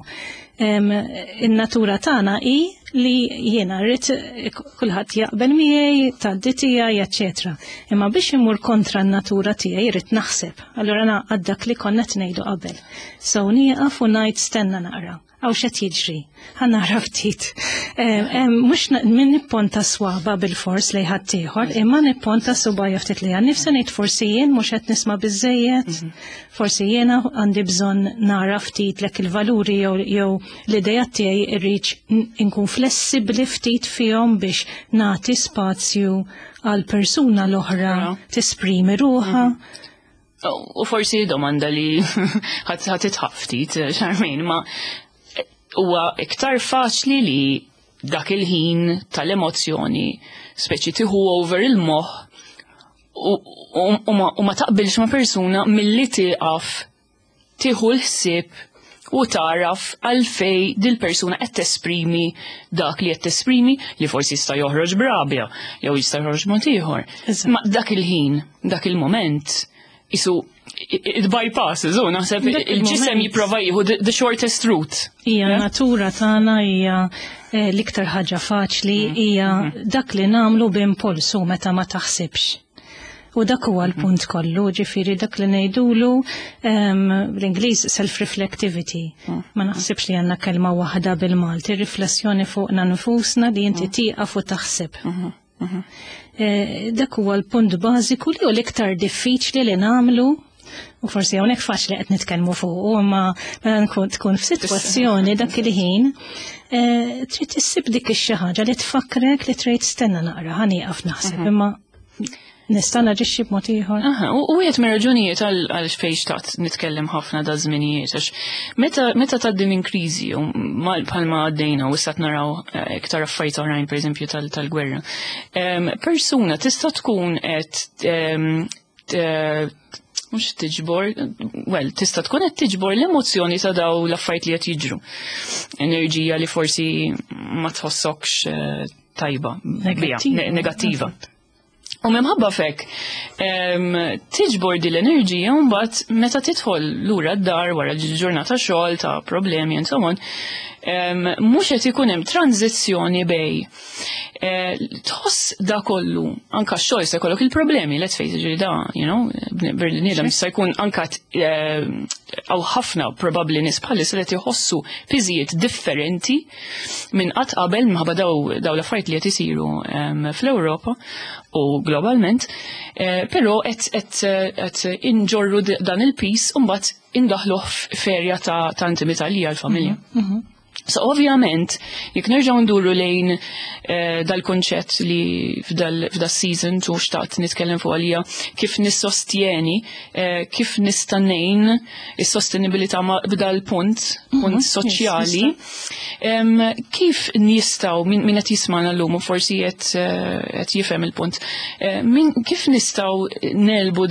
In-natura tagħna hi li jiena rrid kulħadd jaqbel miegħi, tgħaddi tiegħi, eċċetera. Imma biex imur kontra n-natura tiegħi rrid naħseb. Allura naqgħad dak li konna qed ngħidu qabel. So nieqaf u ngħid, stenna naqra. Hawn x'qed jiġri? Ħa nara ftit. Mhux min nipponta swaba bil-fors lejn ħaddieħor, imma nipponta subgħajja ftit li nifsa ngħid forsi jien mhux qed nisma' biżejjed, forsi jiena għandi bżonn nara ftit lek il-valuri jew l-idea tiegħi irrid inkun flessibbli ftit fihom biex nagħti spazju għal persuna l-oħra tesprimi ruħha. U forsi domanda li ħa titħaq ftit, Charmaine, ma huwa iktar faċli li dak il-ħin tal-emozzjoni speċi tieħu over il-moħħ u ma taqbilx ma' persuna milli tieqaf, tieħu l-ħsieb u taraf għalfej dil-persuna qed tesprimi dak li qed tesprimi, li forsi jista' joħroġ b'rabja jew jista' joħroġ mod ieħor. Ma dak il-ħin, dak il-moment, isu it bypasses, u naħseb Dak il-ġisem il-moment. jipprova jieħu the shortest route. Hija natura tagħna, hija l-iktar ħaġa faċli, hija dak li nagħmlu b'impulsu meta ma taħsibx. U dak huwa l-punt kollu, ġifieri dak li ngħidulu bl-Ingliż self-reflectivity. Ma naħsibx li għandna kelma waħda bil-Malti, riflessjoni fuqna nfusna li inti tieqaf u taħseb. Dak huwa l-punt bażiku li hu l-iktar diffiċli li nagħmlu. U forsi hawnhekk faċli qed nitkellmu fuq, imma meta nkun tkun f'sitwazzjoni dak il-ħin trid issib dik ix-xi ħaġa li tfakkrek li trid stenna naqra, ħa nieqaf naħseb, imma nista' naġixxi b'mod ieħor. Aha, u wieħed mir-raġunijiet għal fejn xtaqt nitkellem ħafna da żminijiet, għax meta tgħaddi minn kriżi u bħalma għaddejna u issa naraw iktar affarijiet oħrajn, pereżempju tal-gwerra, persuna tista' tkun qed mhux tiġbor, well, tista' tkun qed tiġbor l-emozzjoni ta' daw l-affarijiet li qed jiġru. Enerġija li forsi ma tħossokx tajba, bija, negattiva. U minħabba fek, tiġbor din l-enerġija u mbagħad meta tidħol lura d-dar wara ġurnata xogħol ta' problemi and so on, mhux qed ikun hemm tranzizzjoni bej tħoss da kollu, anka x-xogħol se jkollok il-problemi, let's face it, ġifieri da, bniedem se jkun anka hawn ħafna probabbli nies bħalissa li qed iħossu piżijiet differenti minn qatt qabel minħabba daw l-affarijiet li qed isiru fl-Ewropa u globalment, però qed inġorru dan il-pis u mbagħad indaħluh f'erja ta' intimità li hija l-familja. So ovvjament, jekk nerġgħu nduru lejn dal-konċett li f'dal season tu xtaqt nitkellem fuq għalija kif nissostjeni, kif nista' ngħin is-sostenibilità b'dal-punt, punt soċjali, kif nistgħu min qed jismagħna llum u forsi qed jifhem il-punt, kif nistgħu nelbu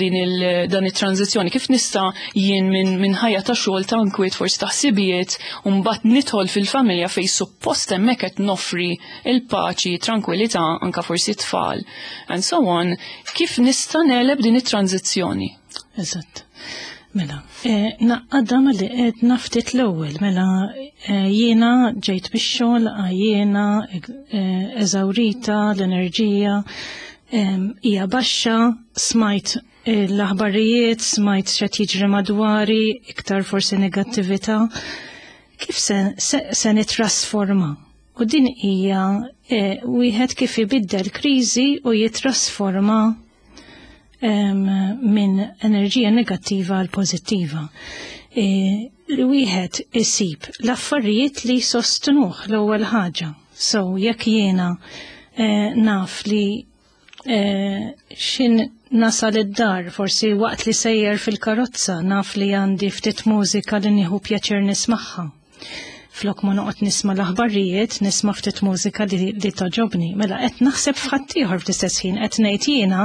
dan it-tranzizzjoni, kif nista' jien minn ħajja ta' xogħol ta' nkwiet forsi ta' ħsibijiet u mbagħad nidħol fil-familja fej suppost hemmhekk qed noffri il-paċi, tranquillità, anka forsi tfal, and so on, kif nista' neleb din it-tranzizzjoni? Eżatt. Mela, naqqadha li qed naftit l-ewwel, mela jiena ġejt bix-xogħol, jiena eżawrita, l-enerġija hija baxxa, smajt l-aħbarijiet, smajt x'qed jiġri madwari, iktar forsi negattività. Kif se nitrasforma? U din hija wieħed kif ibiddel kriżi u jitrasforma minn enerġija negattiva għal pożittiva. Li wieħed isib l-affarijiet li sostnuh l-ewwel ħaġa. So jekk jiena naf li xin nasal id-dar, forsi waqt li sejjer fil-karozza, naf li għandi ftit mużika li nieħu pjaċir nismagħha. Flok ma noqgħod nisma' l-aħbarijiet, nisma' ftit mużika li toġobni. Mela qed naħseb f'ħaddieħor fl-istess ħin, qed ngħid jiena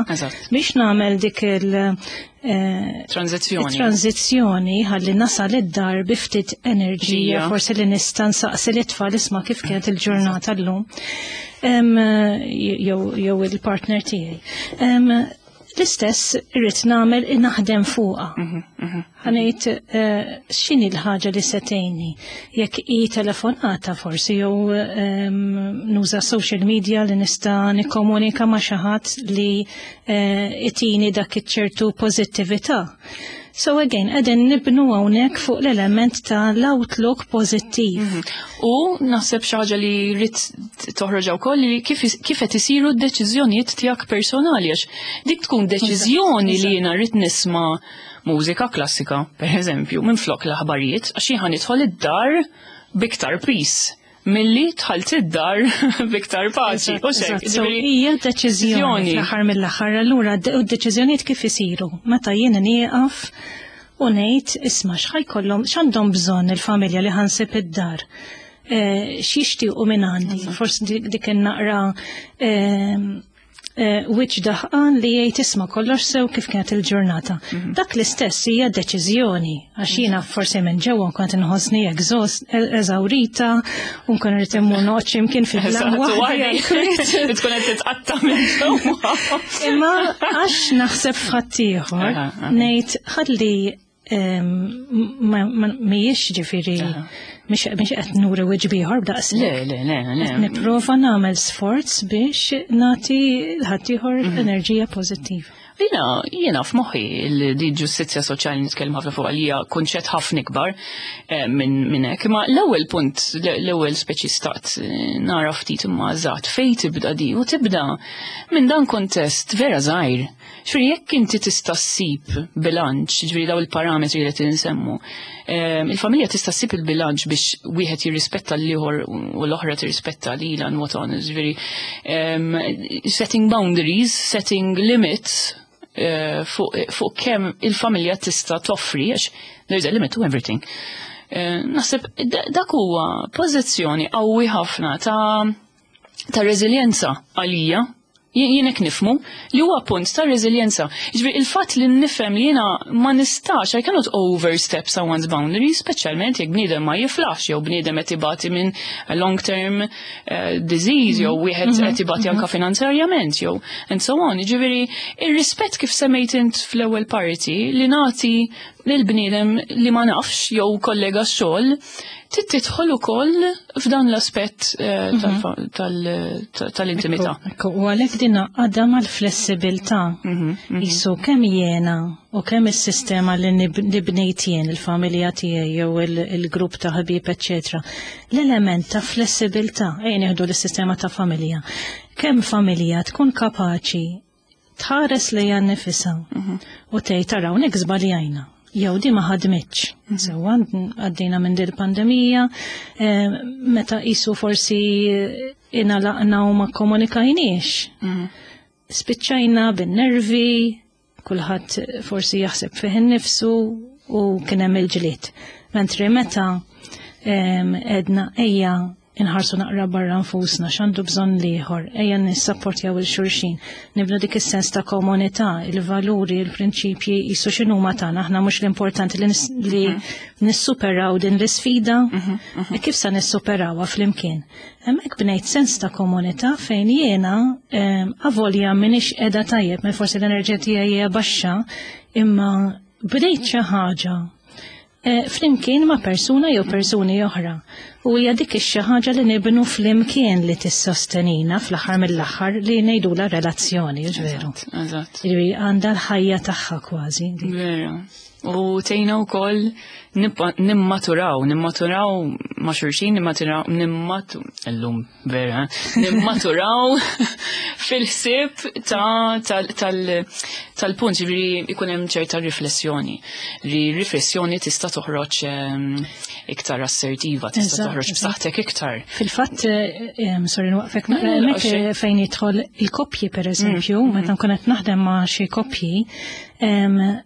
biex nagħmel dik il Tranzizzjoni. Tranzizzjoni ħalli nasal id-dar bi ftit enerġija, forsi li nista' nsaqsi l-itfal isma' kif kienet il-ġurnata llum. Jew il-partner tiegħi. L-istess irrid nagħmel naħdem fuqha. Ħanejt x'inhi l-ħaġa li se tgħinni? Jekk hi telefonata forsi jew nuża social media li nista' nikkomunika ma' xi ħadd li itini dak iċ-ċertu pożittività. So again, qegħdin nibnu hawnhekk fuq l-element ta' l-outlook pożittiv. U naħseb xi ħaġa li rrid toħroġ wkoll li kif qed isiru d-deċiżjonijiet tiegħek personali, għax dik tkun deċiżjoni li jiena rrid nisma' mużika klassika, per eżempju, minn flok l-aħbarijiet, għax jien nidħol id-dar biktar peace milli dħalt id-dar biktar paċi. U xek, So, hija deċiżjoni fl-aħħar mill-aħħar, allura u d-deċiżjonijiet kif isiru? Meta jiena nieqaf u ngħid isma' x'ħajkollhom, x'għandhom bżonn il-familja li ħansib id-dar. X'jixtiequ minn għandi? Forsi dik in-naqra wiċċ daħqan li jgħid isma' kollox sew kif kienet il-ġurnata. Dak l-istess hija deċiżjoni, għax jiena forsi minn ġewwa kont inħossni eżawrita u nkun irid immur noqgħod x'imkien fil-lam waħdi. Tkun qed titqatta' minn ġewwa. Imma għax naħseb f'ħaddieħor, ngħid ħalli mhijiex ġifieri mhix qed nuri wiċċ bieħor b'daqs. Le, le, le, le. Qed nipprova nagħmel sforz biex nagħti ħaddieħor enerġija pożittiva. Jiena f'moħħi li di ġustizzja soċjali nitkellem ħafna fuq għalija kunċett ħafna ikbar minn hekk, imma l-ewwel punt, l-ewwel speċi stat nara ftit imma eżatt fejn tibda di u tibda minn dan kontest vera żgħir. Ġifieri jekk inti tista' ssib bilanċ, ġifieri daw il-parametri li qed insemmu, il-familja tista' ssib il-bilanċ biex wieħed jirrispetta l-ieħor u l-oħra tirrispetta lilha and what on, ġifieri setting boundaries, setting limits fuq kemm il-familja tista' toffri, għax there's a limit to everything. Naħseb dak huwa pożizzjoni qawwi ħafna ta' reżiljenza għalija. Jien hekk nifhmu li huwa punt ta' reżiljenza. Ġifieri il-fatt li nifhem li jiena ma nistax, I cannot overstep someone's boundaries, speċjalment jekk bniedem ma jiflaħx jew bniedem qed ibati minn long term disease jew wieħed qed ibati anka finanzjarjament jew and so on. Ġifieri ir-rispett kif semmejt int fl-ewwel parti li nagħti lil bniedem li ma nafx jew kollega xogħol tidħol ukoll f'dan l-aspett tal-intimità. Ekku, u għalhekk din għadha mal-flessibilità. Jisu kemm jiena u kemm is-sistema li bnejt jien, il-familja tiegħi jew il-grupp ta' ħbieb, eċċetera. L-element ta' flessibilità, ejja nieħdu l-sistema ta' familja. Kemm familja tkun kapaċi tħares lejha nnifisha u tgħid taraw hawnhekk żbaljajna. Jew di ma ħadmitx. Sewwa għaddejna minn dil pandemija, meta qisu forsi inalaqna u ma komunikajniex. Spiċċajna bin-nervi, kulħadd forsi jaħseb fih innifsu u kien hemm il-ġlied. Mentri meta edna ejja inħarsu naqra barra nfusna x'għandu bżonn l-ieħor, ejja nissapportjaw lil xulxin, nibnu dik is-sens ta' komunità, il-valuri, il-prinċipji jisu x'inhuma tagħna, aħna mhux l-importanti li nissuperaw din l-isfida, e kif sa nissuperawha flimkien. Hemmhekk bnejt sens ta' komunità fejn jiena avolja m'iniex qiegħda tajjeb, ma forsi l-enerġija tiegħi hija baxxa, imma bdejt xi ħaġa flimkien ma' persuna jew persuni oħra. U hija dik ix-xi ħaġa li nibnu flimkien li tissostenina fl-aħħar mill-aħħar li ngħidula relazzjoni, veru. Eżatt. Ġifieri għandha l-ħajja tagħha kważi. Vera. U tgħinna wkoll nimmaturaw ma' xulxin, nimmaturaw, illum vera, nimmaturaw fil-ħsieb tal-punt, ġifieri ikun hemm ċerta riflessjoni. Li riflessjoni tista' toħroġ iktar assertiva, tista' toħroġ b'saħħtek iktar. Fil-fatt, sorry nwaqfek naqra, hemmhekk fejn jidħol il-koppji per eżempju, meta nkun qed naħdem ma' xi koppji,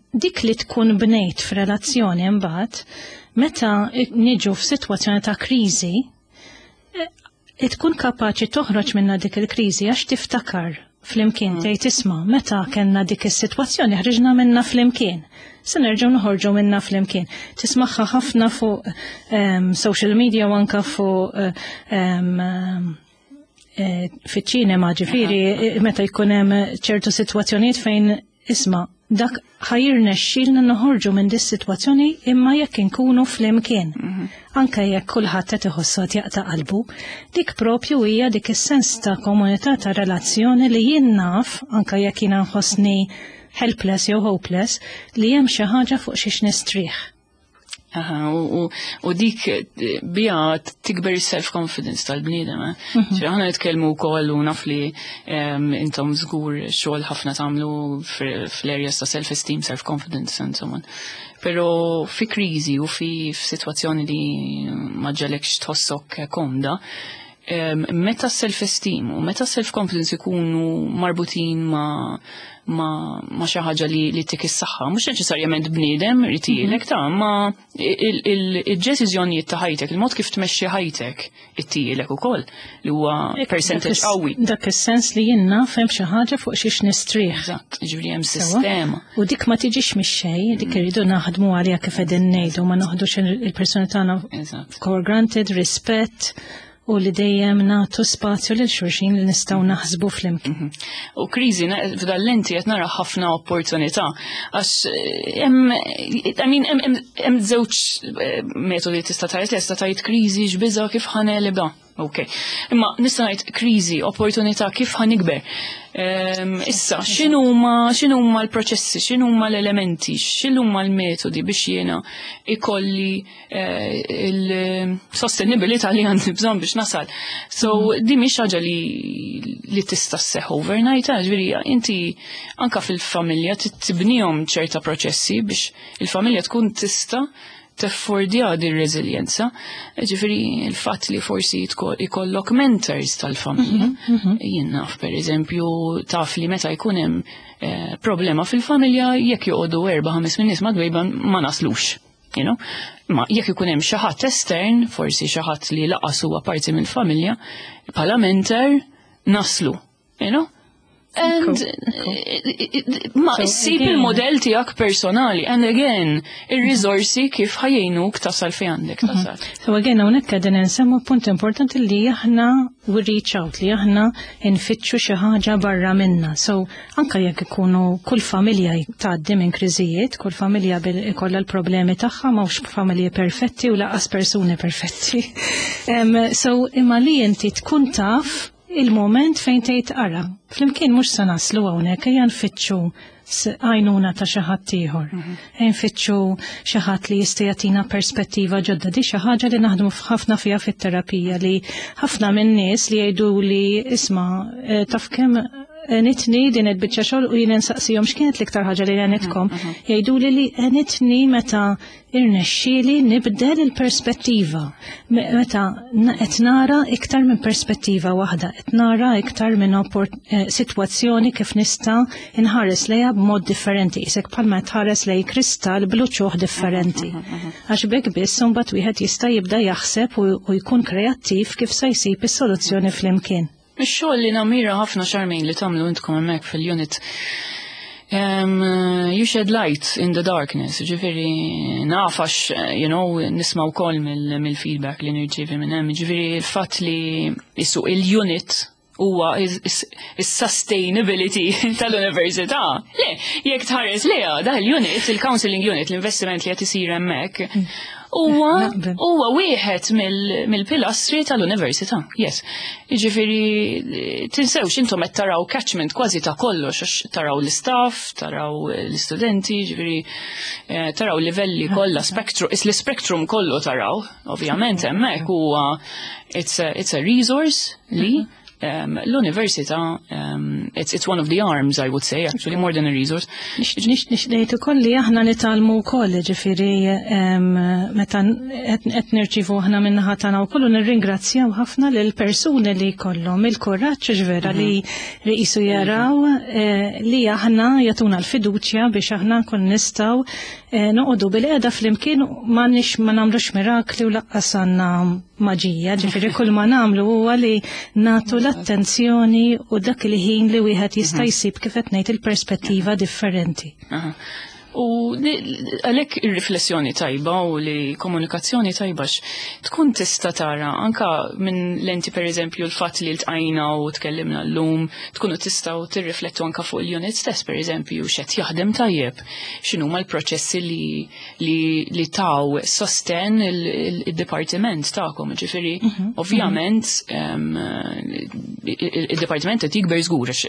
dik li tkun bnejt f'relazzjoni imbagħad, meta niġu f'sitwazzjoni ta' kriżi, tkun kapaċi toħroġ minna dik il-kriżi għax tiftakar flimkien tgħid isma' meta kellna dik is-sitwazzjoni ħriġna minna flimkien. Se nerġgħu noħorġu minna flimkien. Tismagħha ħafna fuq social media u anka fuq fiċ-ċinema, ġifieri meta jkun hemm ċertu sitwazzjonijiet fejn isma' dak ħa jirnexxilna noħorġu minn dis sitwazzjoni imma jekk inkunu flimkien. Anke jekk kulħadd qed iħossu qed jaqta' qalbu, dik propju hija dik is-sens ta' komunità ta' relazzjoni li jien naf, anke jekk jiena nħossni helpless jew hopeless, li hemm xi ħaġa fuq xiex nistrieħ. Aha, u dik bija tikber self-confidence tal-bniedem. Ġifieri aħna nitkellmu wkoll u naf li intom żgur xogħol ħafna tagħmlu fl-areas ta' self-esteem, self-confidence and so on. Però fi kriżi u fi f'sitwazzjoni li ma ġegħlekx tħossok komda, meta self-esteem u meta self-confidence ikunu marbutin ma xi ħaġa li tik is-saħħa, mhux neċessarjament bniedem ritilek ta' ma il-deċiżjonijiet ta' ħajtek, il-mod kif tmexxi ħajtek ittielek ukoll li huwa percentage qawwi. Dak is-sens li jien naf hemm xi ħaġa fuq xiex nistrieħ. Eżatt, jiġifieri hemm sistema. U dik ma tiġix mix-xejn, dik irridu naħdmu għaliha kif qegħdin ngħidu, ma noħdux il-persuni tagħna for granted, rispett, u li dejjem nagħtu spazju lil xulxin li nistgħu naħsbu flimkien. U kriżi f'dal-lenti qed nara ħafna opportunità għax hemm, I mean, hemm żewġ metodi tista' tgħid, tista' tgħid kriżi x'biża' kif ħa negħlibha. Ok. Imma nista' ngħid kriżi, opportunità kif ħa nikber. Issa, x'inhuma x'inhuma l-proċessi, x'inhuma l-elementi, x'inhuma l-metodi biex jiena ikolli il-sostenibilità li għandi bżonn biex nasal. So, di mhix ħaġa li tista' sseħħ overnight, ġifieri inti anka fil-familja tibnihom ċerta proċessi biex il-familja tkun tista' teffordja din reżiljenza. Ġifieri il-fatt li forsi ikollok mentors tal-familja. Jien naf, per eżempju, taf li meta jkun hemm problema fil-familja, jekk joqogħdu erba' ħames min-nies madwejba ma naslux. Ma jekk ikun hemm xi ħadd estern, forsi xi ħadd li lanqas huwa parti mill-familja, bħala mentor naslu. And ma issib il-modell tiegħek personali and again ir-riżorsi kif ħa jgħinuk tasal fejn għandek tasal. So again, hawnhekk qegħdin nsemmu punt importanti li aħna we reach out, li aħna nfittxu xi ħaġa barra minna. So anka jekk ikunu kull familja tgħaddi minn kriżijiet, kull familja ikollha l-problemi tagħha, m'hawnx familji perfetti u lanqas persuni perfetti. So imma li inti tkun taf il-moment fejn tgħid, "Ara, flimkien mhux se naslu hawnhekk, ejja nfittxu għajnuna ta' xi ħadd ieħor. Ejja nfittxu xi ħadd li jista' jagħtina perspettiva ġodda." Di xi ħaġa li naħdmu ħafna fiha fit-terapija, li ħafna minn nies li jgħidu li, "Isma', taf kemm għenitni din il-biċċa xogħol," u jien nsaqsihom x'kienet l-iktar ħaġa li għenitkom. Jgħidu li għenitni meta irnexxieli nibdel il-perspettiva. Meta qed nara iktar minn perspettiva waħda, qed nara iktar minn sitwazzjoni kif nista' nħares lejha b'mod differenti, isek bħalma tħares lej kristall b'uċuħ differenti. Għax b'hekk biss imbagħad wieħed jista' jibda jaħseb u jkun kreattiv kif se jsib is-soluzzjoni flimkien. Ix-xogħol li nammira ħafna, Charmaine, li tagħmlu intkom hemmhekk fil-unit. You shed light in the darkness, ġifieri naf għax, nisma' wkoll mill-feedback li nirċievi minn hemm, ġifieri il-fatt li isu il-unit huwa is-sustainability tal-università. Le, jekk tħares leha, da il-unit, il-counseling unit, l-investiment li qed isir hemmhekk, huwa huwa wieħed mill-pilastri tal-università. Yes. Jiġifieri tinsewx intom qed taraw catchment kważi ta' kollox, għax taraw l-istaff, taraw l-istudenti, ġifieri taraw livelli kollha, spektru, l-spectrum kollu taraw, ovvjament hemmhekk huwa it's a resource li l-università, it's one of the arms, I would say, actually, more than a resource. Nix ngħid ukoll li aħna nitgħallmu wkoll, ġifieri meta qed nirċievu aħna min-naħa tagħna wkoll u nirringrazzjaw ħafna lil persuni li jkollhom il-kuraġġ vera li qisu jaraw li aħna jagħtuna l-fiduċja biex aħna nkun nistgħu noqogħdu bilqiegħda flimkien. Ma nix ma nagħmlux mirakli u lanqas għandna maġija, ġifieri kull ma nagħmlu huwa li nagħtu l-attenzjoni u dak il-ħin li wieħed jista' jsib, kif qed ngħid, il-perspettiva differenti. U għalhekk ir-riflessjoni tajba u li komunikazzjoni tajba tkun tista' tara anka minn lenti, per eżempju, l-fatt li ltqajna u tkellimna llum, tkunu tistgħu tirriflettu anka fuq il-unit stess, per eżempju, x'qed jaħdem tajjeb, x'inhuma l-proċessi li taw sosten il-dipartiment tagħkom, ġifieri ovvjament il-dipartiment qed jikber żgur għax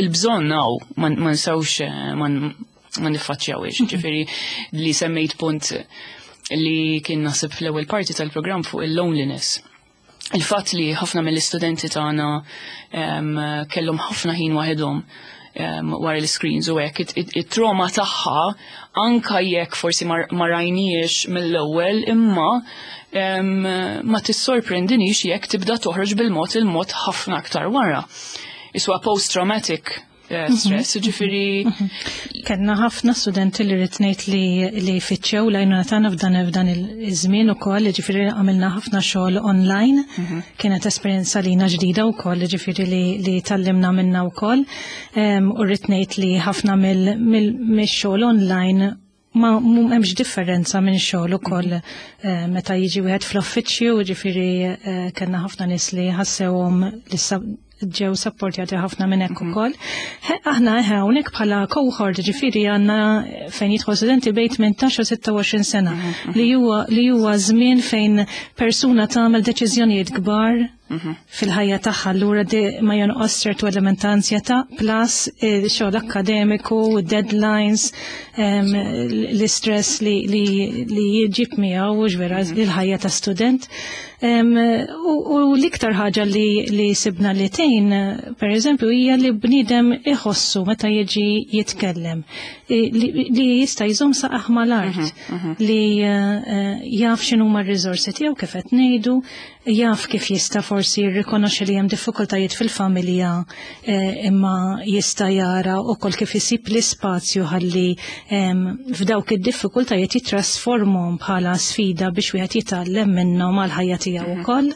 il-bżonn hawn, ma nsewx ma niffaċċjawx, ġifieri li semmejt punt li kien naħseb fl-ewwel parti tal-programm fuq il-loneliness. Il-fatt li ħafna mill-istudenti tagħna kellhom ħafna ħin waħedhom wara l-screens u hekk, it-trauma tagħha, anka jekk forsi ma rajniex mill-ewwel, imma ma tissorprendinix jekk tibda toħroġ bil-mod il-mod ħafna aktar wara. Iswa post-traumatic stress, ġifieri. Kellna ħafna studenti li rrid ngħid li fittxew l-għajnuna tagħna f'dan iż-żmien ukoll, ġifieri għamilna ħafna xogħol online. Kienet esperjenza lina ġdida wkoll, ġifieri li tgħallimna minna wkoll. U rrid ngħid li ħafna mill-xogħol online ma hemmx differenza minn xogħol ukoll meta jiġi wieħed fl-uffiċċju, ġifieri kellna ħafna nies li ħassewhom li ġew supportjati ħafna minn hekk ukoll. Aħna hawnhekk bħala cohort, ġifieri għandna fejn jidħol studenti bejn 18 u 26 sena li huwa żmien fejn persuna tagħmel deċiżjonijiet kbar fil-ħajja tagħha, allura ma jonqos ċertu element ta' ansjetà plus xogħol akkademiku, deadlines, l-istress li jġib miegħu vera il-ħajja ta' student. U l-iktar ħaġa li sibna li tgħin, per eżempju, hija li bniedem iħossu meta jiġi jitkellem, li jista' jżomm saqajh mal-art, li jaf x'inhuma r-riżorsi tiegħu kif qed ngħidu, jaf kif jista' forsi jirrikonoxxi li hemm diffikultajiet fil-familja, imma jista' jara wkoll kif isib l-ispazju ħalli f'dawk id-diffikultajiet jitrasformhom bħala sfida biex wieħed jitgħallem minnhom għall-ħajja tiegħu ukoll.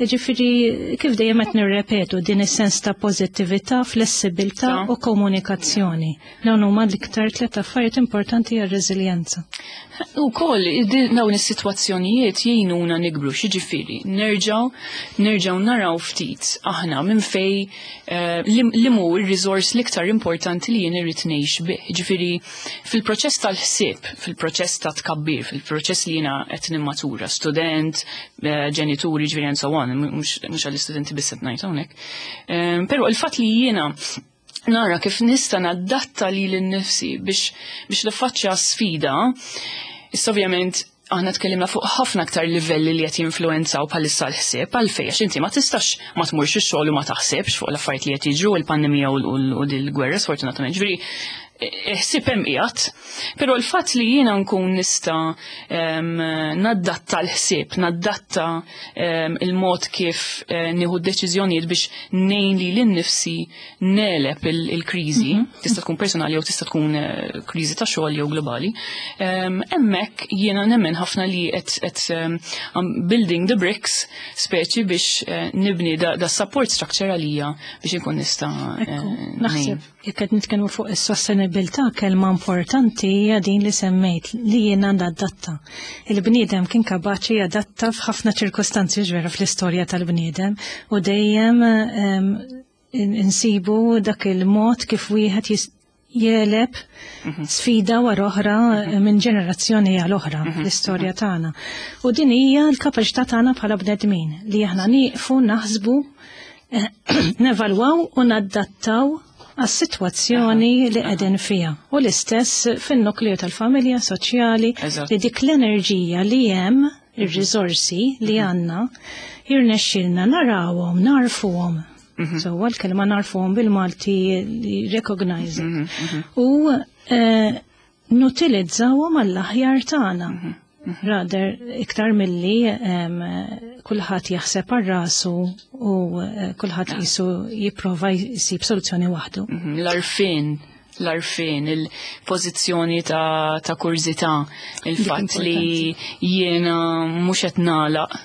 Ġifieri, kif dejjem qed nirrepetu, din is-sens ta' pożittività, flessibilità u komunikazzjoni. Dawn huma l-iktar tliet affarijiet importanti għar-reżiljenza. U koll, dawn is-sitwazzjonijiet jgħinuna nikbru, xiġifieri, nerġgħu naraw ftit aħna minn fej li mu il-resource l-iktar importanti li jien irrid ngħix bih. Ġifieri, fil-proċess tal-ħsieb, fil-proċess ta' tkabbir, fil-proċess li jiena qed nimmatura, student, ġenituri, ġifieri and so on, mhux għall-istudenti biss qed ngħid hawnhekk. Però il-fatt li jiena nara kif nista' nadatta lili nnifsi biex niffaċċja sfida, issa ovvjament aħna tkellimna fuq ħafna aktar livelli li qed jinfluwenzaw bħalissa l-ħsieb, għalfejn, għax inti ma tistax ma tmurx ix-xogħol u ma taħsibx fuq l-affarijiet li qed jiġru, il-pandemija u l-gwerra sfortunatament. Ġifieri, ħsieb hemm qiegħed, però l-fatt li jiena nkun nista' naddatta l-ħsieb, naddatta il-mod kif nieħu d-deċiżjonijiet biex ngħin lili nnifsi negħleb il-kriżi, tista' tkun personali jew tista' tkun kriżi ta' xogħol jew globali. Hemmhekk jiena nemmen ħafna li qed I'm building the bricks speċi biex nibni da support structure għalija biex inkun nista' Naħseb ngħin. Jekk qed nitkellmu fuq is-sostenibilità, kelma importanti hija din li semmejt, li jiena nadatta. Il-bniedem kien kapaċi jadatta f'ħafna ċirkostanzi ġvera fl-istorja tal-bniedem u dejjem insibu dak il-mod kif wieħed jegħleb sfida wara oħra minn ġenerazzjoni għal oħra l-istorja tagħna. U din hija l-kapaċità tagħna bħala bnedmin li aħna nieqfu, naħsbu, nevalwaw u nadattaw għas-sitwazzjoni li qegħdin fiha. U l-istess fin-nukleu tal-familja soċjali li dik l-enerġija li hemm, ir-riżorsi li għandna, jirnexxilna narawhom, narfuhom. So, għal-kelma narfuhom bil-Malti recognize. U nutilizzawhom għall-aħjar tagħna. Rather iktar milli kulħadd jaħseb għal rasu u kulħadd qisu jipprova jsib soluzzjoni waħdu. L-għarfien, il-pożizzjoni ta' kurżità, il-fatt li jiena mhux qed nagħlaq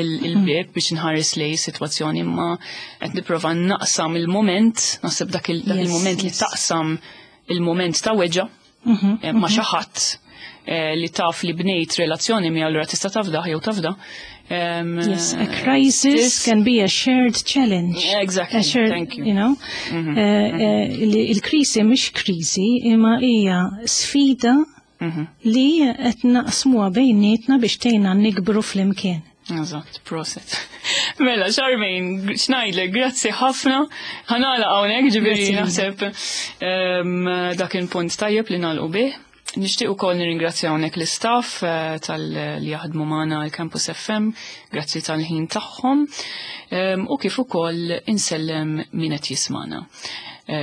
il-bieb biex nħares lej sitwazzjoni, imma qed nipprova naqsam il-moment, naħseb dak il-moment li taqsam il-moment ta' weġgħa ma' xi ħadd li taf li bnejt relazzjoni mi allura tista' tafda jew tafda. Yes, a crisis can be a shared challenge. Exactly, A shared, thank you. you know, il-krisi mhix krisi, imma hija sfida li qed naqsmuha bejnietna biex tgħinna nikbru flimkien. Eżatt, proset. Mela, Charmaine, x'ngħidlek, grazzi ħafna. Ħa nagħlaq hawnhekk, ġifieri Grazzi. naħseb dak il-punt tajjeb li nagħlqu bih. Nixtieq ukoll nirringrazzja hawnhekk l-istaff tal-li jaħdmu magħna l-Campus FM, grazzi tal-ħin tagħhom, u kif ukoll insellem min qed jismana.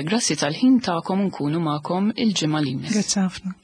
Grazzi tal-ħin tagħkom, nkunu magħkom il-ġimgħa li jmiss. Grazzi ħafna.